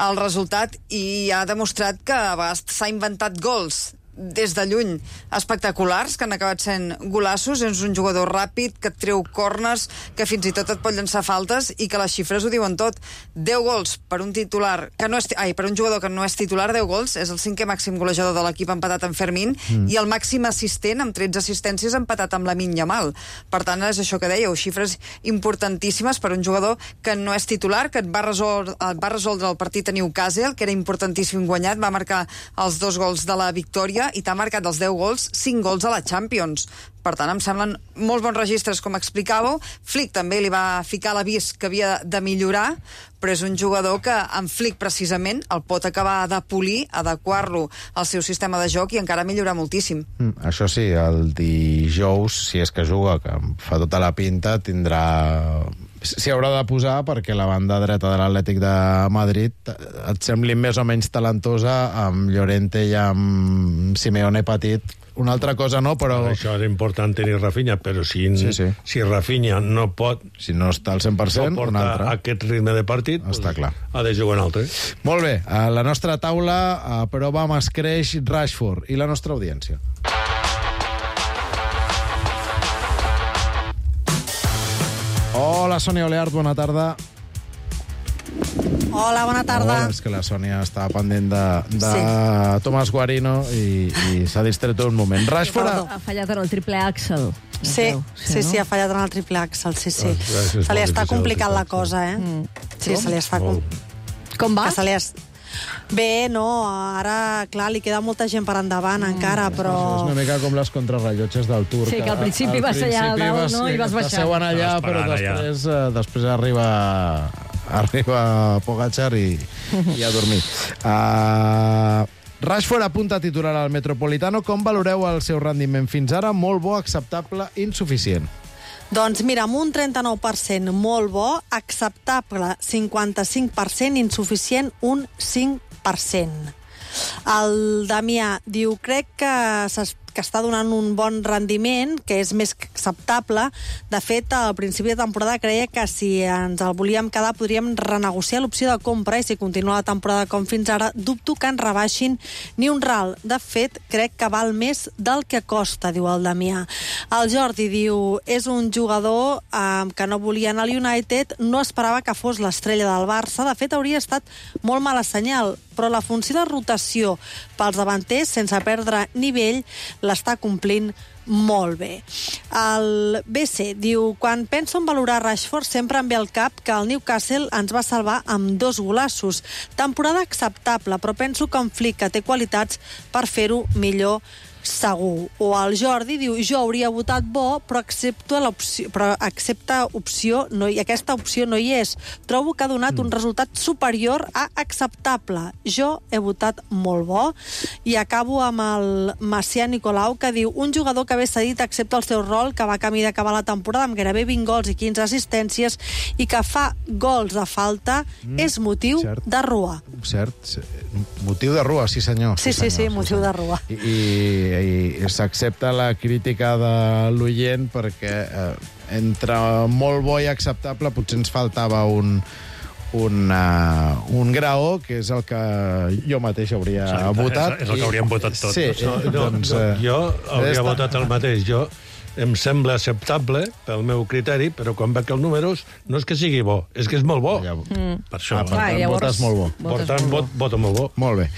el resultat, i ha demostrat que a vegades s'ha inventat gols des de lluny espectaculars, que han acabat sent golassos. És un jugador ràpid, que et treu corners, que fins i tot et pot llançar faltes, i que les xifres ho diuen tot. deu gols per un titular que no és, ai, per un jugador que no és titular, deu gols, és el cinquè màxim golejador de l'equip, empatat amb Fermín, mm. i el màxim assistent amb tretze assistències, empatat amb Lamine Yamal. Per tant, és això que dèieu, xifres importantíssimes per un jugador que no és titular, que et va resoldre, et va resoldre el partit a Newcastle, que era importantíssim guanyat, va marcar els dos gols de la victòria, i t'ha marcat dels deu gols, cinc gols a la Champions. Per tant, em semblen molt bons registres, com explicàveu. Flick també li va ficar l'avís que havia de millorar, però és un jugador que en Flick, precisament, el pot acabar de polir, adequar-lo al seu sistema de joc i encara millorar moltíssim. Mm, això sí, el dijous, si és que juga, que fa tota la pinta, tindrà... S'hi haurà de posar perquè la banda dreta de l'Atlètic de Madrid et sembli més o menys talentosa, amb Llorente i amb Simeone petit. Una altra cosa no, però... Això és important tenir Rafinha, però si, sí, sí. si Rafinha no pot... Si no està al cent per cent, no un altre. Aquest ritme de partit, està clar. Ha de jugar un altre. Molt bé, a la nostra taula a prova amb escreix Rashford i la nostra audiència. Hola, Sònia Oleart, bona tarda. Hola, bona tarda. Hola, és que la Sònia estava pendent de, de sí. Tomàs Guarino i, i s'ha distret un moment. Rashford ha... ha fallat en el triple Axel. Sí, sí, sí, ha fallat en el triple Axel, sí, sí. Se li està complicant la cosa, eh? Mm. Sí, se li està... Com, Com va? Que se li, es... Bé, no, ara, clar, li queda molta gent per endavant mm. encara, però... És una mica com les contrarrellotges del Tour. Sí, que al principi vas allà a dalt, no? I vas baixar. Passeuen allà, però després, eh, després arriba... arriba Pogačar i, i a dormir. Uh, Rashford apunta a titular al Metropolitano. Com valoreu el seu rendiment fins ara? Molt bo, acceptable, insuficient. Doncs mira, amb un trenta-nou per cent molt bo, acceptable cinquanta-cinc per cent, insuficient un cinc per cent. El Damià diu, crec que s'es que està donant un bon rendiment, que és més que acceptable. De fet, al principi de temporada creia que si ens el volíem quedar podríem renegociar l'opció de compra i si continua la temporada com fins ara, dubto que ens rebaixin ni un ral. De fet, crec que val més del que costa, diu el Damià. El Jordi diu, és un jugador eh, que no volia anar al United, no esperava que fos l'estrella del Barça, de fet hauria estat molt mala senyal, però la funció de rotació pels davanters, sense perdre nivell, l'està complint molt bé. El B C diu, quan penso en valorar Rashford sempre em ve al cap que el Newcastle ens va salvar amb dos golassos. Temporada acceptable, però penso que en Flick, que té qualitats per fer-ho millor segur. O el Jordi diu, jo hauria votat bo, però accepto l'opció, però accepta opció, no, i aquesta opció no hi és. Trobo que ha donat mm. un resultat superior a acceptable. Jo he votat molt bo. I acabo amb el Macià Nicolau, que diu, un jugador que ve cedit accepta el seu rol, que va camí d'acabar la temporada amb gairebé vint gols i quinze assistències, i que fa gols de falta, mm. és motiu Cert. de rua. Cert. Motiu de rua, sí senyor. Sí, sí, sí, sí, motiu sí, de rua. I, i i s'accepta la crítica de l'oient perquè eh, entre molt bo i acceptable potser ens faltava un, un, uh, un graó, que és el que jo mateix hauria Exacte, votat. És, és el que hauríem votat tots. Sí, no, no, doncs, no, jo hauria està... votat el mateix. Jo em sembla acceptable pel meu criteri, però quan veig els números no és que sigui bo, és que és molt bo. Ja, mm. Per això. Ah, per tant, llavors, votes molt bo. Per tant, vot, voto molt bo. Molt bé.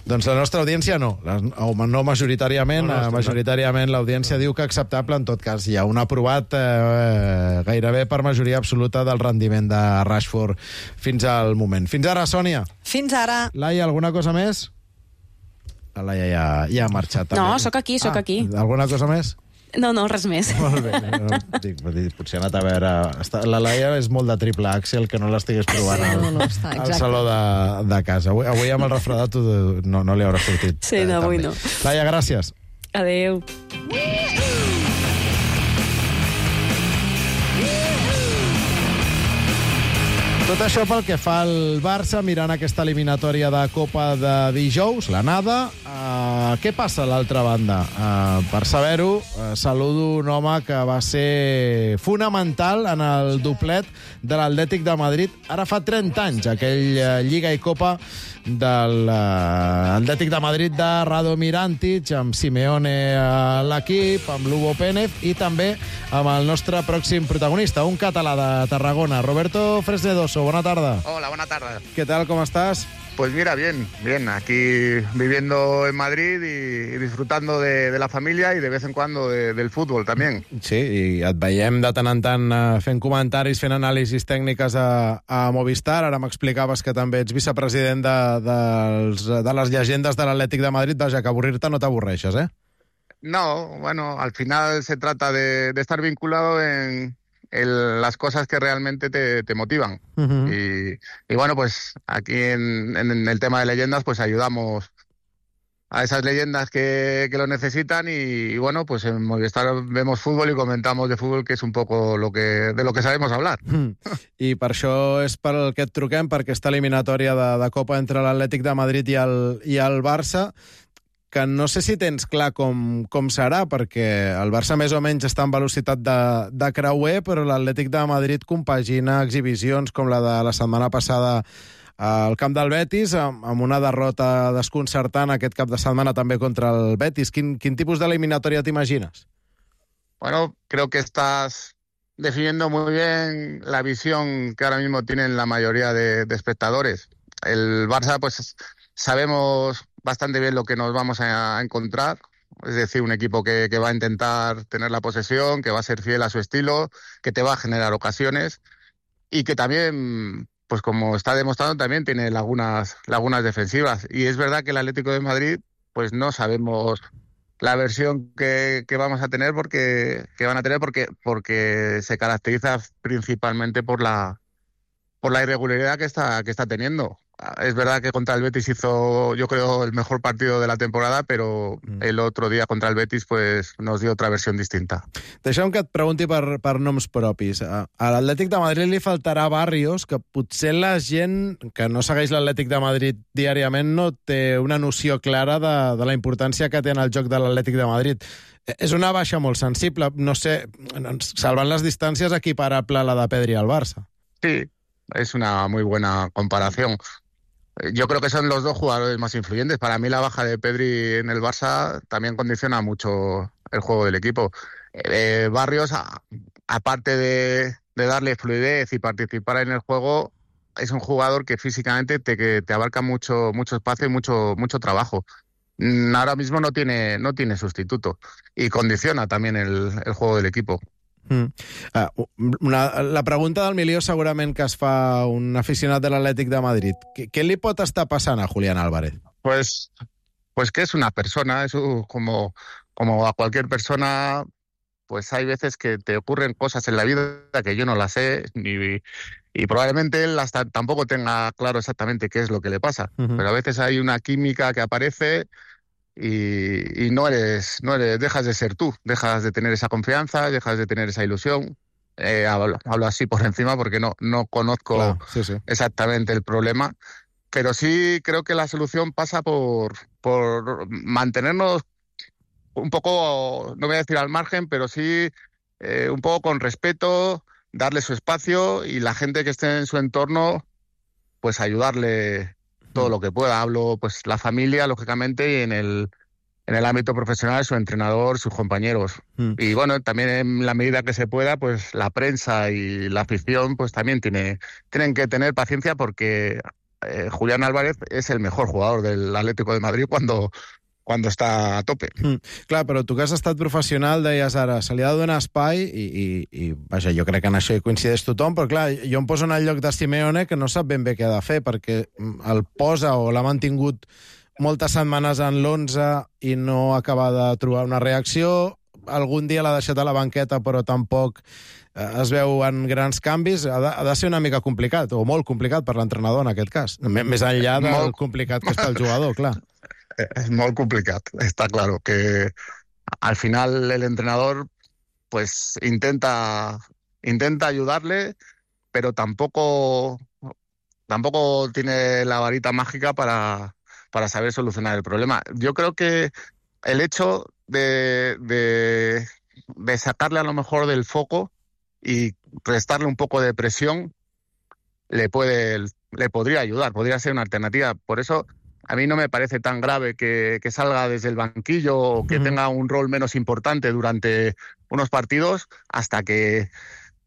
Doncs la nostra audiència no. La, no majoritàriament. No, no, majoritàriament l'audiència no. diu que acceptable. En tot cas, hi ha un aprovat eh, gairebé per majoria absoluta del rendiment de Rashford fins al moment. Fins ara, Sònia. Fins ara. Laia, alguna cosa més? La Laia ja, ja ha marxat. També. No, sóc aquí, sóc ah, aquí. Alguna cosa més? No, no, res més. Molt bé. No, dic, potser ha anat a veure... La Laia és molt de triple Axel, que no l'estigués provant al, no, no, està, al saló de, de casa. Avui, avui amb el refredat no, no li haurà sortit. Sí, no, avui no. Laia, gràcies. Adéu. Tot això pel que fa al Barça, mirant aquesta eliminatòria de Copa de dijous, l'anada. Uh, què passa a l'altra banda? Uh, per saber-ho, uh, saludo un home que va ser fonamental en el doblet de l'Atlètic de Madrid ara fa trenta anys, aquell uh, Lliga i Copa de l'Atlètic de Madrid de Radomir Antic, amb Simeone a l'equip, amb Lugo Pénez i també amb el nostre pròxim protagonista, un català de Tarragona, Roberto Fresnedoso. Buena tarde. Hola, buena tarde. ¿Qué tal? ¿Cómo estás? Pues mira, bien, bien. Aquí viviendo en Madrid y, y disfrutando de, de la familia y de vez en cuando de, del fútbol también. Sí, i et veiem de tant en tant fent comentaris, fent anàlisis tècniques a, a Movistar. Ara m'explicaves que també ets vicepresident de, de, de les llegendes de l'Atlètic de Madrid. Vaja, que avorrir-te no t'avorreixes, eh? No, bueno, al final se trata de, de estar vinculado en... El, las cosas que realmente te, te motivan. Uh-huh. y, y bueno, pues aquí en, en el tema de leyendas pues ayudamos a esas leyendas que, que lo necesitan y, y bueno, pues en Movistar vemos fútbol y comentamos de fútbol, que es un poco lo que, de lo que sabemos hablar. Mm. I per això és per el que et truquem, per aquesta eliminatòria de, de Copa entre l'Atlètic de Madrid i el, i el Barça, que no sé si tens clar com, com serà, perquè el Barça més o menys està en velocitat de, de creuer, però l'Atlètic de Madrid compagina exhibicions com la de la setmana passada al camp del Betis, amb, amb una derrota desconcertant aquest cap de setmana també contra el Betis. Quin, quin tipus d'eliminatòria t'imagines? Bueno, creo que estás definiendo muy bien la visión que ahora mismo tienen la mayoría de, de espectadores. El Barça, pues sabemos bastante bien lo que nos vamos a encontrar, es decir, un equipo que, que va a intentar tener la posesión, que va a ser fiel a su estilo, que te va a generar ocasiones y que también pues como está demostrando, también tiene lagunas, lagunas defensivas. Y es verdad que el Atlético de Madrid, pues no sabemos la versión que, que vamos a tener, porque que van a tener porque, porque se caracteriza principalmente por la, por la irregularidad que está, que está teniendo. Es verdad que contra el Betis hizo, yo creo, el mejor partido de la temporada, però mm. el otro día contra el Betis pues, nos dio otra versión distinta. Deixa'm que et pregunti per, per noms propis. A, a l'Atlètic de Madrid li faltarà Barrios, que potser la gent que no segueix l'Atlètic de Madrid diàriament no té una noció clara de, de la importància que té en el joc de l'Atlètic de Madrid. És una baixa molt sensible, no sé, salvant les distàncies, equiparable a la de Pedri al Barça. Sí, es una muy buena comparación. Yo creo que son los dos jugadores más influyentes. Para mí la baja de Pedri en el Barça también condiciona mucho el juego del equipo. Eh, Barrios, a, aparte de, de darle fluidez y participar en el juego, es un jugador que físicamente te, que te abarca mucho, mucho espacio y mucho, mucho trabajo. Ahora mismo no tiene, no tiene sustituto y condiciona también el, el juego del equipo. Mm. Uh, una, la pregunta del milió segurament que es fa un aficionat de l'Atlètic de Madrid. Què, què li pot estar passant a Julián Álvarez? Pues, pues que es una persona, es un, como, como a cualquier persona, pues hay veces que te ocurren cosas en la vida que yo no las sé ni, y probablemente él hasta tampoco tenga claro exactamente qué es lo que le pasa. Uh-huh. Pero a veces hay una química que aparece Y, y no eres, no eres, dejas de ser tú, dejas de tener esa confianza, dejas de tener esa ilusión. Eh, hablo, hablo así por encima porque no, no conozco claro, sí, sí. exactamente el problema, pero sí creo que la solución pasa por, por mantenernos un poco, no voy a decir al margen, pero sí eh, un poco con respeto, darle su espacio y la gente que esté en su entorno, pues ayudarle todo lo que pueda. Hablo, pues, la familia, lógicamente, y en el, en el ámbito profesional, su entrenador, sus compañeros. Mm. Y, bueno, también en la medida que se pueda, pues, la prensa y la afición, pues, también tiene, tienen que tener paciencia porque eh, Julián Álvarez es el mejor jugador del Atlético de Madrid cuando... quan està a tope. Mm, clar, però tu que has estat professional, deies ara, se li ha de donar espai i, i, i vaja, jo crec que en això hi coincideix tothom, però clar, jo em poso en el lloc de Simeone que no sap ben bé què ha de fer, perquè el posa o l'ha mantingut moltes setmanes en l'onze i no acaba de trobar una reacció, algun dia l'ha deixat a la banqueta però tampoc eh, es veuen grans canvis, ha de, ha de ser una mica complicat, o molt complicat per l'entrenador en aquest cas, més enllà del molt... complicat que és pel jugador, clar. Es muy complicado, está claro que al final el entrenador pues intenta intenta ayudarle, pero tampoco tampoco tiene la varita mágica para, para saber solucionar el problema. Yo creo que el hecho de, de, de sacarle a lo mejor del foco y restarle un poco de presión le puede le podría ayudar, podría ser una alternativa. Por eso a mí no me parece tan grave que, que salga desde el banquillo o que uh-huh. tenga un rol menos importante durante unos partidos hasta que,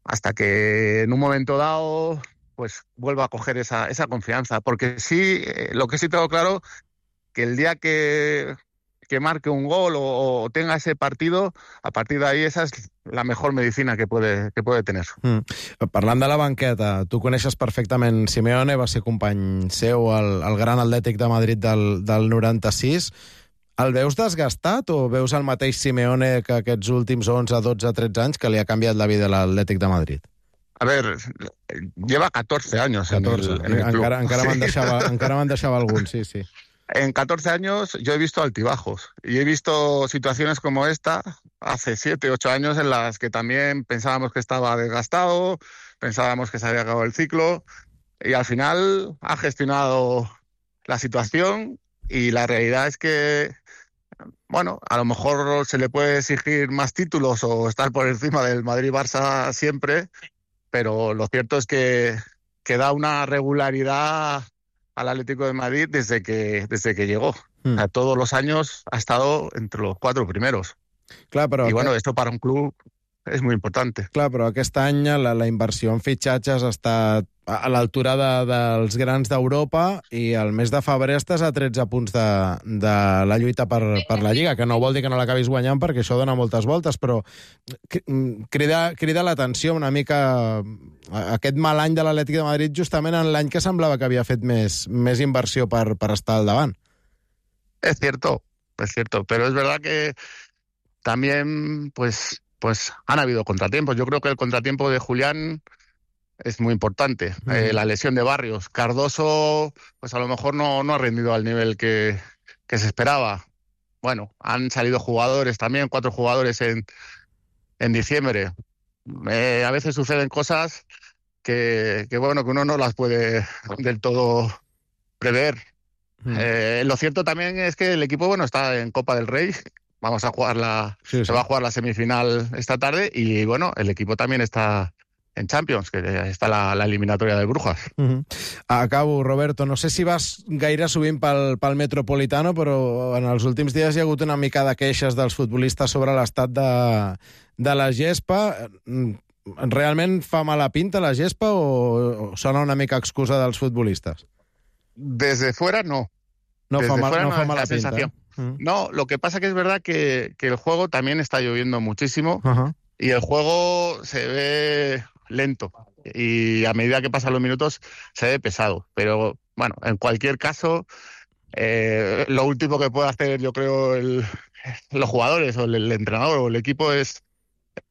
hasta que en un momento dado pues vuelva a coger esa, esa confianza. Porque sí, eh, lo que sí tengo claro, que el día que, que marque un gol o, o tenga ese partido, a partir de ahí esa es la mejor medicina que puede, que puede tener. Mm. Parlant de la banqueta, tu coneixes perfectament Simeone, va ser company seu al, al Gran Atlètic de Madrid del, del noranta-sis. El veus desgastat o veus el mateix Simeone que aquests últims onze, dotze, tretze anys que li ha canviat la vida a l'Atlètic de Madrid? A ver, lleva catorce años catorze. En el, en el club. Encara, encara, sí. me'n deixava, encara me'n deixava algun, sí, sí. En catorce años yo he visto altibajos y he visto situaciones como esta hace siete, ocho años en las que también pensábamos que estaba desgastado, pensábamos que se había acabado el ciclo y al final ha gestionado la situación y la realidad es que, bueno, a lo mejor se le puede exigir más títulos o estar por encima del Madrid-Barça siempre, pero lo cierto es que, que da una regularidad al Atlético de Madrid desde que, desde que llegó. Mm. O sea, todos los años ha estado entre los cuatro primeros. Clar, però y bueno, esto para un club es muy importante. Clar, però aquest any la, la inversió en fitxatges ha estat a l'altura de, dels grans d'Europa i el mes de febrer estàs a tretze punts de, de la lluita per, per la Lliga, que no vol dir que no l'acabis guanyant perquè això dona moltes voltes, però crida, crida l'atenció una mica aquest mal any de l'Atlètic de Madrid justament en l'any que semblava que havia fet més, més inversió per, per estar al davant. Es cierto, es cierto, pero es verdad que también pues, pues han habido contratiempos. Yo creo que el contratiempo de Julián es muy importante. Mm. Eh, la lesión de Barrios. Cardoso, pues a lo mejor no, no ha rendido al nivel que, que se esperaba. Bueno, han salido jugadores también, cuatro jugadores en, en diciembre. Eh, a veces suceden cosas que, que, bueno, que uno no las puede del todo prever. Mm. Eh, lo cierto también es que el equipo, bueno, está en Copa del Rey. Vamos a jugar la, sí, sí. Se va a jugar la semifinal esta tarde y, bueno, el equipo también está en Champions, que està la, la eliminatòria de Brujas. Uh-huh. Acabo, Roberto. No sé si vas gaire sovint pel, pel Metropolitano, però en els últims dies hi ha hagut una mica de queixes dels futbolistes sobre l'estat de, de la gespa. Realment fa mala pinta la gespa o, o sona una mica excusa dels futbolistes? Desde fuera, no. No Desde fa, mal, fuera, no no fa mala pinta. Sensación. Uh-huh. No, lo que pasa que es verdad que, que el juego también está lloviendo muchísimo uh-huh. y el juego se ve lento y a medida que pasan los minutos se ve pesado, pero bueno, en cualquier caso eh, lo último que puede hacer yo creo el, los jugadores o el, el entrenador o el equipo es,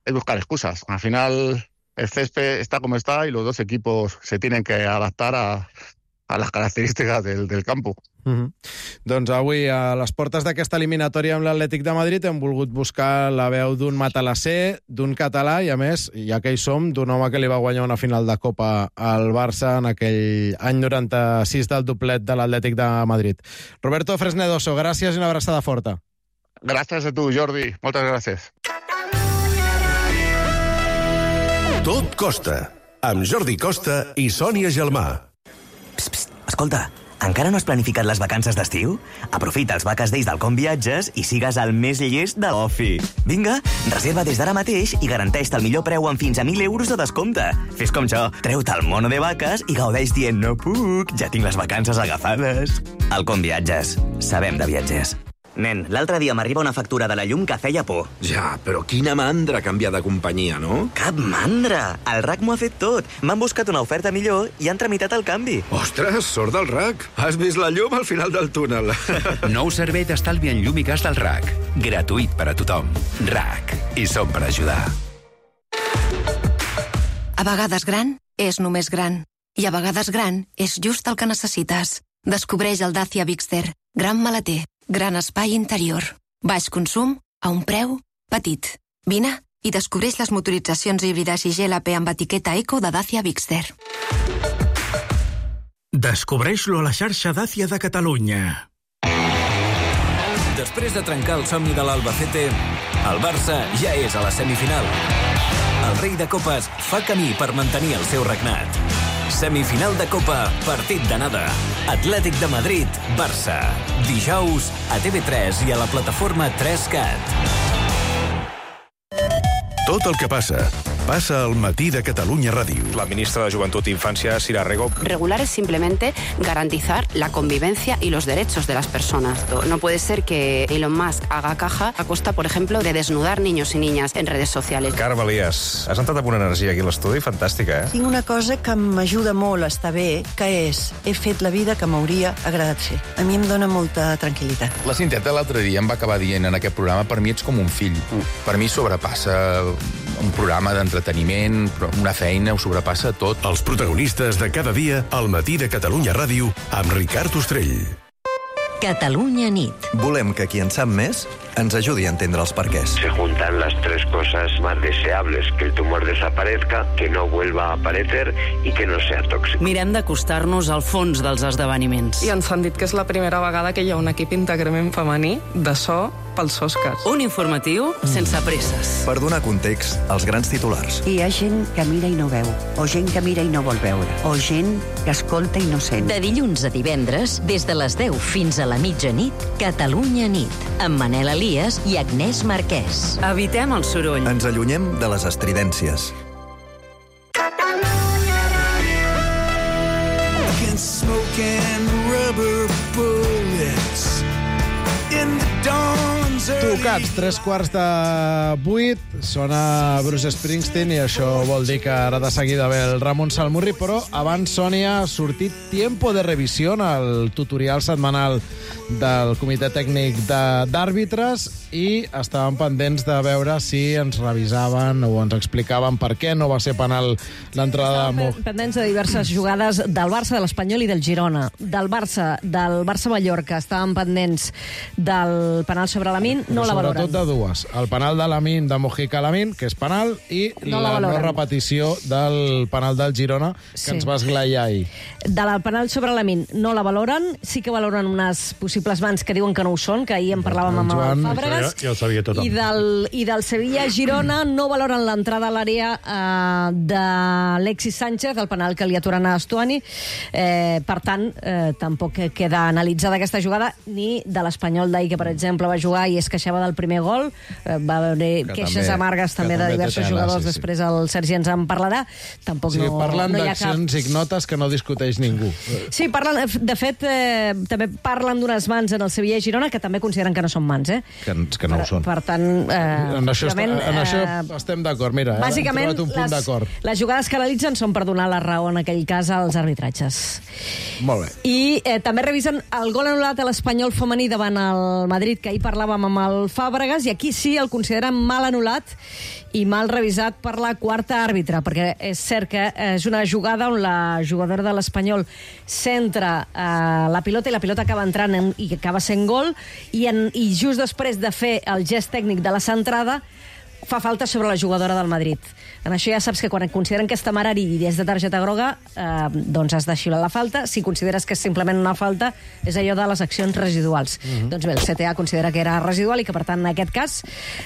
es buscar excusas. Al final el césped está como está y los dos equipos se tienen que adaptar a, a las características del, del campo. Uh-huh. Doncs avui a les portes d'aquesta eliminatòria amb l'Atlètic de Madrid hem volgut buscar la veu d'un matalasser, d'un català i a més, ja que hi som, d'un home que li va guanyar una final de Copa al Barça en aquell any noranta-sis del doblet de l'Atlètic de Madrid. Roberto Fresnedoso, gràcies i una abraçada forta. Gràcies a tu, Jordi. Moltes gràcies. Tot Costa, amb Jordi Costa i Sònia Gelmà. Psst, psst, escolta, encara no has planificat les vacances d'estiu? Aprofita els Vaques Days del Com Viatges i sigues el més llest de l'ofi. Vinga, reserva des d'ara mateix i garanteix-te el millor preu amb fins a mil euros de descompte. Fes com jo, treu-te el mono de vaques i gaudeix dient no puc, ja tinc les vacances agafades. El Com Viatges. Sabem de viatgers. Nen, l'altre dia m'arriba una factura de la llum que feia por. Ja, però quina mandra canviar de companyia, no? Cap mandra! El R A C m'ho ha fet tot. M'han buscat una oferta millor i han tramitat el canvi. Ostres, sort del R A C! Has vist la llum al final del túnel. Nou servei d'estalvi en llum i gas del R A C. Gratuït per a tothom. R A C. I som per ajudar. A vegades gran és només gran. I a vegades gran és just el que necessites. Descobreix el Dacia Bigster. Gran maleter. Gran espai interior. Baix consum a un preu petit. Vine i descobreix les motoritzacions híbrides i G L P amb etiqueta Eco de Dacia Bigster. Descobreix-lo a la xarxa Dacia de Catalunya. Després de trencar el somni de l'Albacete, el Barça ja és a la semifinal. El rei de copes fa camí per mantenir el seu regnat. Semifinal de Copa, partit d'anada. Atlètic de Madrid, Barça. Dijous a T V tres i a la plataforma tres cat. Tot el que passa, passa al matí de Catalunya Ràdio. La ministra de Juventud e Infancia, Sira Rego. Regular es simplemente garantizar la convivencia y los derechos de las personas. No puede ser que Elon Musk haga caja a costa, por ejemplo, de desnudar niños y niñas en redes sociales. Carme Elias, has entrat amb una energia aquí a l'estudi fantàstica, eh? Tinc una cosa que m'ajuda molt a estar bé, que és, he fet la vida que m'hauria agradat fer. A mi em dóna molta tranquil·litat. La Cinteta l'altre dia em va acabar dient en aquest programa, per mi ets com un fill. Per mi sobrepassa un programa d'entreteniment, una feina, ho sobrepassa tot. Els protagonistes de cada dia al matí de Catalunya Ràdio amb Ricard Ostrell. Catalunya nit. Volem que qui en sap més ens ajudi a entendre els perquès. Se juntan las tres cosas más deseables, que el tumor desaparezca, que no vuelva a aparecer y que no sea tóxico. Mirem d'acostar-nos al fons dels esdeveniments. I ens han dit que és la primera vegada que hi ha un equip íntegrament femení de so pels Oscars. Un informatiu sense presses. Per donar context als grans titulars. Hi ha gent que mira i no veu, o gent que mira i no vol veure, o gent que escolta i no sent. De dilluns a divendres, des de les deu fins a la mitjanit, Catalunya nit, amb Manel Aliaga Elias i Agnès Marquès. Evitem el soroll. Ens allunyem de les estridències. Tocats, tres quarts de vuit, sona Bruce Springsteen i això vol dir que ara de seguida ve el Ramon Salmurri, però abans, Sònia, ha sortit Tiempo de Revisión, el tutorial setmanal del Comitè Tècnic d'Àrbitres, i estàvem pendents de veure si ens revisaven o ens explicaven per què no va ser penal l'entrada de Mo. Pendents de diverses jugades del Barça, de l'Espanyol i del Girona. Del Barça, del Barça-Mallorca, estàvem pendents del penal sobre Lamine, no la valoren. Sobretot de dues. El penal de Lamine, de Mojica Lamine, que és penal, i no la, la no repetició del penal del Girona, que sí. ens va esglaiar ahir. De la penal sobre Lamine no la valoren, sí que valoren unes possibles mans que diuen que no ho són, que ahir en parlàvem amb el Fàbregas. Ja, ja ho sabia tothom. I del, i del Sevilla-Girona no valoren l'entrada a l'àrea eh, d'Alexis Sánchez, el penal que li aturen a Estuani. Eh, per tant, eh, tampoc queda analitzada aquesta jugada, ni de l'Espanyol d'ahir, que per exemple va jugar i es queixava del primer gol. Eh, va haver queixes també, amargues també de diversos tela, jugadors, sí, sí. Després el Sergi ens en parlarà. Tampoc sí, no, parlen no hi ha d'accions cap... ignotes que no discuteix ningú. Sí, parlen, de fet, eh, també parlen d'unes mans en el Sevilla i Girona que també consideren que no són mans, eh? Que, que no per, ho són. Per tant, eh, en això, està, en això eh, estem d'acord. Mira, bàsicament, hem trobat un punt d'acord. Les jugades que analitzen són per donar la raó en aquell cas als arbitratges. Molt bé. I eh, també revisen el gol anul·lat a l'Espanyol femení davant el Madrid, que ahir parlàvem amb el Fàbregas, i aquí sí el consideren mal anul·lat i mal revisat per la quarta àrbitre, perquè és cert que és una jugada on la jugadora de l'Espanyol centra eh, la pilota i la pilota acaba entrant en, i acaba sent gol, i, en, i just després de fer el gest tècnic de la centrada fa falta sobre la jugadora del Madrid. En això ja saps que quan consideren que és temerari i és de targeta groga, eh, doncs has de xiular la falta. Si consideres que és simplement una falta, és allò de les accions residuals. Mm-hmm. Doncs bé, el C T A considera que era residual i que, per tant, en aquest cas,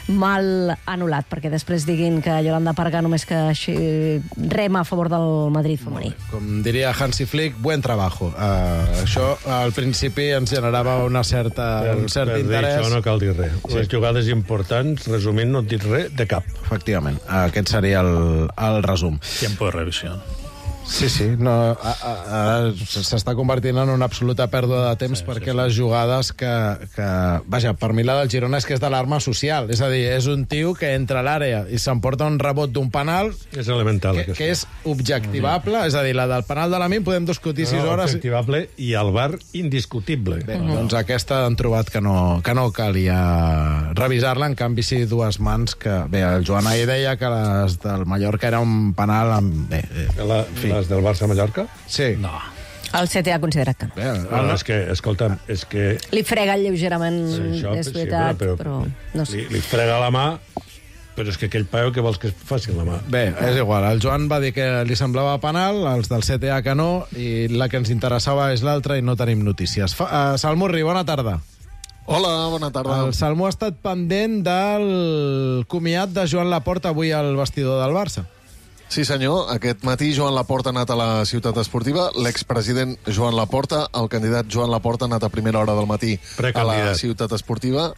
mal anul·lat, perquè després diguin que Yolanda Parga només que rema a favor del Madrid femení. Com diria Hansi Flick, buen trabajo. Uh, això, al principi, ens generava una certa, per, un cert per interès. Per això no cal dir res. Sí. Les jugades importants, resumint, no et dit res de cap. Efectivament. Aquest seria el, el resum. Tiempo de revisión. Sí, sí, no, ara s'està convertint en una absoluta pèrdua de temps, sí, perquè sí, sí. Les jugades que, que... Vaja, per mi la del Girona és que és d'alarma social, és a dir, és un tio que entra a l'àrea i s'emporta un rebot d'un penal és elemental, que, que és objectivable, és a dir, la del penal de la Min podem discutir sis no, hores... Objectivable i el V A R indiscutible. Bé, uh-huh. Doncs aquesta han trobat que no, que no calia revisar-la, en canvi sí dues mans que... Bé, el Joan ahir deia que les del Mallorca era un penal amb... Bé, la, fi. Les del Barça-Mallorca? Sí. No. El C T A ha considerat que no. Bé, no, no. És que, escolta'm, és que... Li frega lleugerament, sí, això, és veritat, sí, però, però no sé. Li, li frega la mà, però és que aquell paio que vols que es faci la mà. Bé, és igual. El Joan va dir que li semblava penal, els del C T A que no, i la que ens interessava és l'altra i no tenim notícies. Fa, uh, Salmurri, bona tarda. Hola, bona tarda. El Salmó ha estat pendent del comiat de Joan Laporta avui al vestidor del Barça. Sí, senyor. Aquest matí Joan Laporta ha anat a la Ciutat Esportiva. L'expresident Joan Laporta, el candidat Joan Laporta, ha anat a primera hora del matí a la Ciutat Esportiva.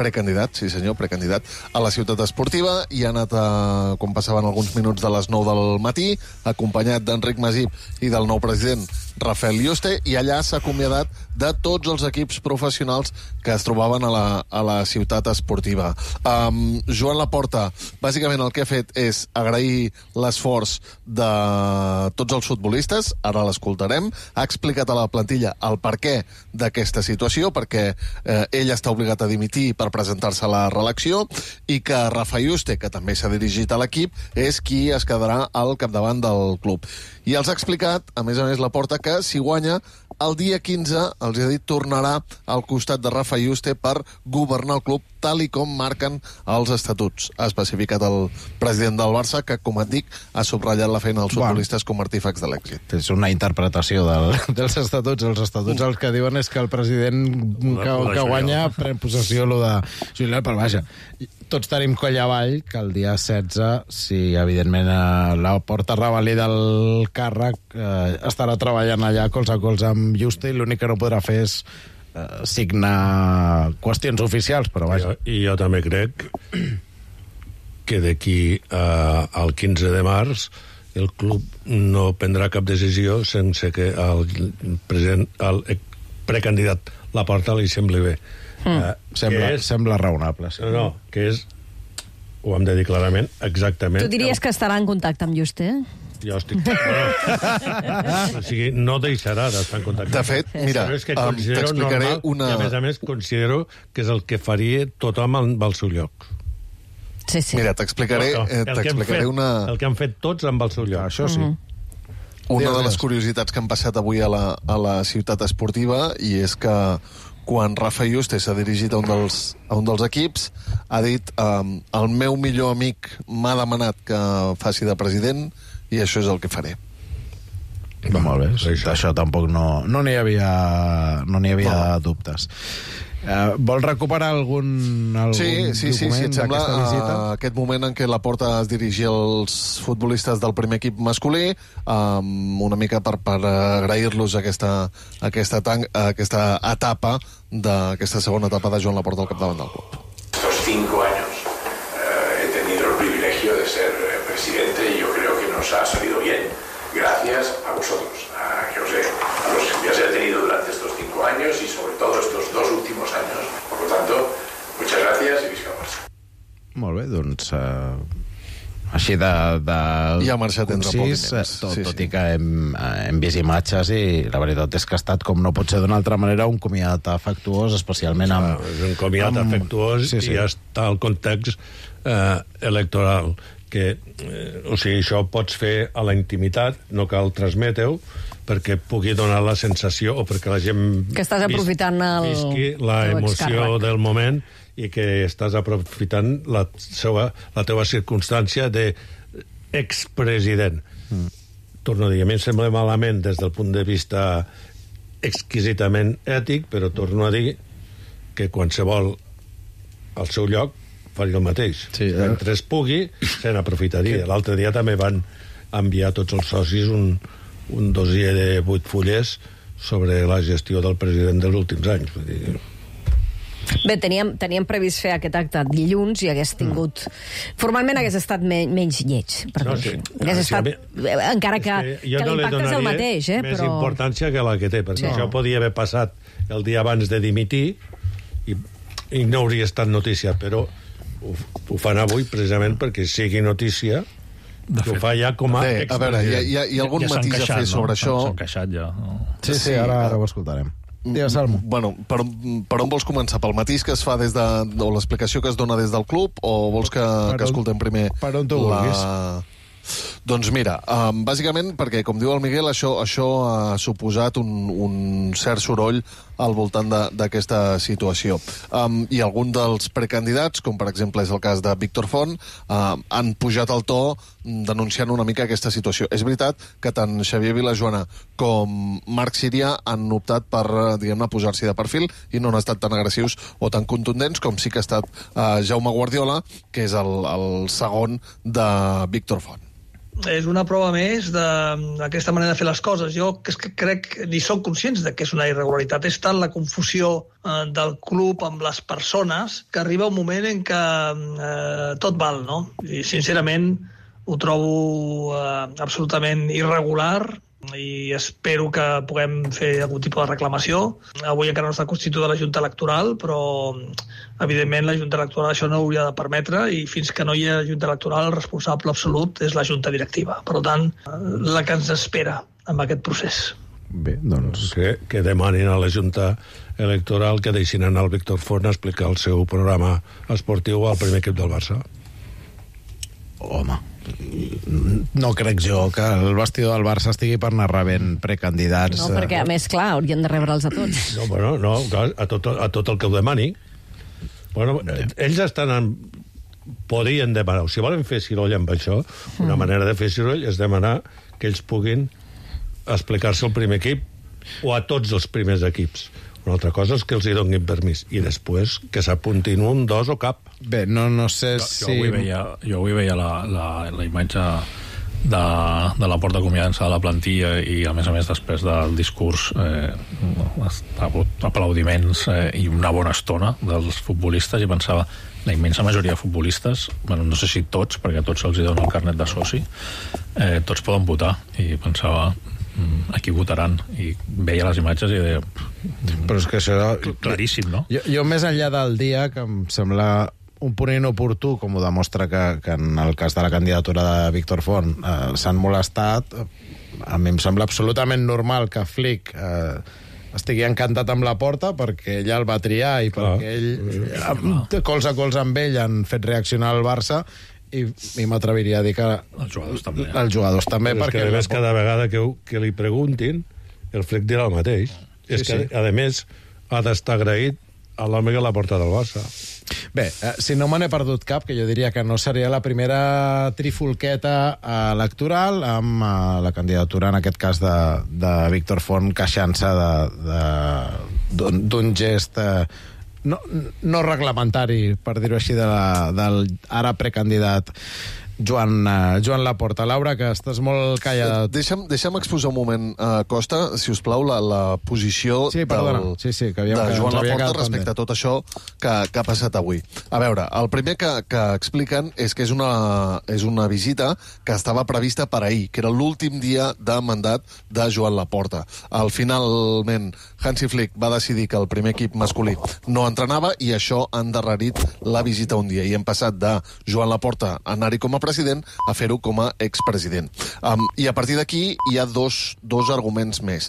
Precandidat, sí senyor, precandidat a la Ciutat Esportiva, i ha anat, a, com passaven alguns minuts de les nou del matí, acompanyat d'Enric Masip i del nou president Rafael Yuste, i allà s'ha acomiadat de tots els equips professionals que es trobaven a la, a la Ciutat Esportiva. Um, Joan Laporta, bàsicament el que ha fet és agrair l'esforç de tots els futbolistes, ara l'escoltarem, ha explicat a la plantilla el perquè d'aquesta situació, perquè eh, ell està obligat a dimitir per presentar-se a la reelecció, i que Rafa Yuste, que també s'ha dirigit a l'equip, és qui es quedarà al capdavant del club. I els ha explicat, a més a més, Laporta, que si guanya, el dia quinze, els ha dit, tornarà al costat de Rafa Yuste per governar el club tal i com marquen els estatuts. Ha especificat el president del Barça, que, com et dic, ha subratllat la feina dels futbolistes com a artífecs de l'èxit. És una interpretació del, dels estatuts. Els estatuts el que diuen és que el president que, que guanya pren possessió lo de jubilar, però vaja, tots tenim coll avall que el dia setze, si evidentment la porta revalida el càrrec, eh, estarà treballant allà colze a colze amb Yuste, i l'únic que no podrà fer és eh, signar qüestions oficials, però vaja. I jo, i jo també crec que d'aquí eh, al quinze de març el club no prendrà cap decisió sense que el president, el precandidat Laporta li sembli bé. Mm. Eh, sembla, és, sembla raonable. Sí. No, no, que és, ho hem de dir clarament, exactament... Tu diries que estarà en contacte amb Juste? Jo estic... o sigui, no deixarà d'estar en contacte. De fet, mira, um, t'explicaré una... I a més a més considero que és el que faria tothom amb el seu lloc. Sí, sí. Mira, t'explicaré no, no, t'explicaré una... El que han fet tots amb el seu lloc. Això sí. Mm-hmm. Una de les curiositats que han passat avui a la, a la ciutat esportiva, i és que quan Rafa Juste s'ha dirigit a un dels, a un dels equips, ha dit um, el meu millor amic m'ha demanat que faci de president i això és el que faré. Va, molt bé, sí, això. Això tampoc no no n'hi havia, no n'hi havia no. dubtes. Uh, vol recuperar algun, algun sí, sí, sí, sí, et sembla uh, aquest moment en què Laporta es dirigia als futbolistes del primer equip masculí, um, una mica per, per agrair-los aquesta, aquesta, tan, aquesta etapa d'aquesta segona etapa de Joan Laporta al capdavant del club. Estos cinco años eh, he tenido el privilegio de ser presidente y yo creo que nos ha salido bien gracias a vosotros, a, que os he, a los que os he tenido durante estos cinco años y sobre todo estos dos últimos años. Por lo tanto, muchas gracias y visca el Barça. Molt bé, doncs... Uh, així de... de I ha marxat entre concís, tot, sí, tot sí. i que hem, hem vist imatges i la veritat és que ha estat, com no pot ser d'una altra manera, un comiat afectuós, especialment amb... Ah, és un comiat amb... afectuós sí, sí. I ja està el context eh, electoral que, eh, o sigui, això pots fer a la intimitat, no cal transmetre-ho, perquè pugui donar la sensació o perquè la gent que estàs aprofitant el, visqui la emoció del moment i que estàs aprofitant la, seva, la teva circumstància d'expresident. Mm. Torno a dir, a mi em sembla malament des del punt de vista exquisitament ètic, però torno a dir que qualsevol al seu lloc faria el mateix. Sí, eh? Mentre es pugui, se n'aprofitaria. L'altre dia també van enviar tots els socis un, un dossier de vuit fullers sobre la gestió del president dels últims anys. Vull dir... Bé, teníem, teníem previst fer aquest acte dilluns i hagués tingut... Mm. Formalment hagués estat me, menys lleig. No, sí. Hagués estat... Sí, encara que, que, que no l'impacte és el mateix, eh? Més però... importància que la que té, perquè sí. Això podia haver passat el dia abans de dimitir i, i no hauria estat notícia, però ho, ho fan avui precisament perquè sigui notícia. De fet, ho fa ja com a bé, a veure, hi ha, hi ha, hi ha algun ja matís queixat, a fer sobre no? això. S'han queixat ja. No? Sí, sí, sí, ara, ara ho escoltarem. Digues, Salmo. Bueno, per, per on vols començar? Pel matís que es fa des de... o l'explicació que es dona des del club, o vols que, que escoltem primer per on tu la... vulguis. Doncs mira, um, bàsicament perquè, com diu el Miguel, això, això ha suposat un, un cert soroll al voltant d'aquesta situació. Um, I algun dels precandidats, com per exemple és el cas de Víctor Font, uh, han pujat el to denunciant una mica aquesta situació. És veritat que tant Xavier Vilajoana com Marc Sirià han optat per, diguem-ne, posar-s'hi de perfil i no han estat tan agressius o tan contundents com sí que ha estat uh, Jaume Guardiola, que és el, el segon de Víctor Font. És una prova més d'aquesta manera de fer les coses. Jo és que crec ni som conscients de que és una irregularitat. És tant la confusió eh, del club amb les persones que arriba un moment en què eh, tot val, no? I sincerament ho trobo eh, absolutament irregular i espero que puguem fer algun tipus de reclamació. Avui encara no està constituïda la Junta Electoral, però evidentment la Junta Electoral això no hauria de permetre i fins que no hi ha Junta Electoral el responsable absolut és la Junta Directiva. Per tant, la que ens espera amb aquest procés. Bé, doncs... Que, que demanin a la Junta Electoral que deixin anar el Víctor Font a explicar el seu programa esportiu al primer equip del Barça. Home... No crec jo que el vestidor del Barça estigui per anar rebent precandidats. No, perquè a més, clar, haurien de rebre'ls a tots. No, bueno, no, a tot, a tot el que ho demani. Bueno, ells estan en... podrien demanar, si volen fer ciroll amb això, una mm. manera de fer ciroll és demanar que ells puguin explicar-se al primer equip o a tots els primers equips. Una altra cosa és que els hi donin permís i després que s'apuntin un, dos o cap. Bé, no, no sé jo, si... Jo avui veia, jo avui veia la, la, la imatge de, de la Porta acomiadant-se de la plantilla i, a més a més, després del discurs eh, ha hagut aplaudiments eh, i una bona estona dels futbolistes, i pensava, la immensa majoria de futbolistes, bueno, no sé si tots, perquè a tots se'ls dona el carnet de soci, eh, tots poden votar, i pensava, a qui votaran, i veia les imatges i deia, però és que això... claríssim, no? Jo, jo més enllà del dia, que em sembla un punt inoportú, com ho demostra que, que en el cas de la candidatura de Víctor Font eh, s'han molestat, a mi em sembla absolutament normal que Flick eh, estigui encantat amb la Porta, perquè ella el va triar i clar, perquè ell, eh, cols a cols amb ell, han fet reaccionar el Barça, i, i m'atreviria a dir que els jugadors també, els jugadors també però perquè és que, a més, cada vegada que, que li preguntin, el Flick dirà el mateix. Sí, és que, sí. a més, ha d'estar agraït a l'home que l'ha portat al Barça. Bé, eh, si no me n'he perdut cap, que jo diria que no seria la primera trifulqueta eh, electoral amb eh, la candidatura, en aquest cas, de, de Víctor Font queixant-se d'un gest eh, no, no reglamentari, per dir-ho així, de la, del ara precandidat Joan, uh, Joan Laporta. Laura, que estàs molt callada. Deixa'm, deixa'm exposar un moment, uh, Costa, si us plau, la, la posició sí, del, sí, sí, que havíem, de Joan que Laporta respecte a tot això que, que ha passat avui. A veure, el primer que, que expliquen és que és una, és una visita que estava prevista per ahir, que era l'últim dia de mandat de Joan Laporta. Al finalment, Hansi Flick va decidir que el primer equip masculí no entrenava i això ha endarrerit la visita un dia. I hem passat de Joan Laporta a anar-hi com a president a fer-ho com a expresident. Um, I a partir d'aquí hi ha dos, dos arguments més.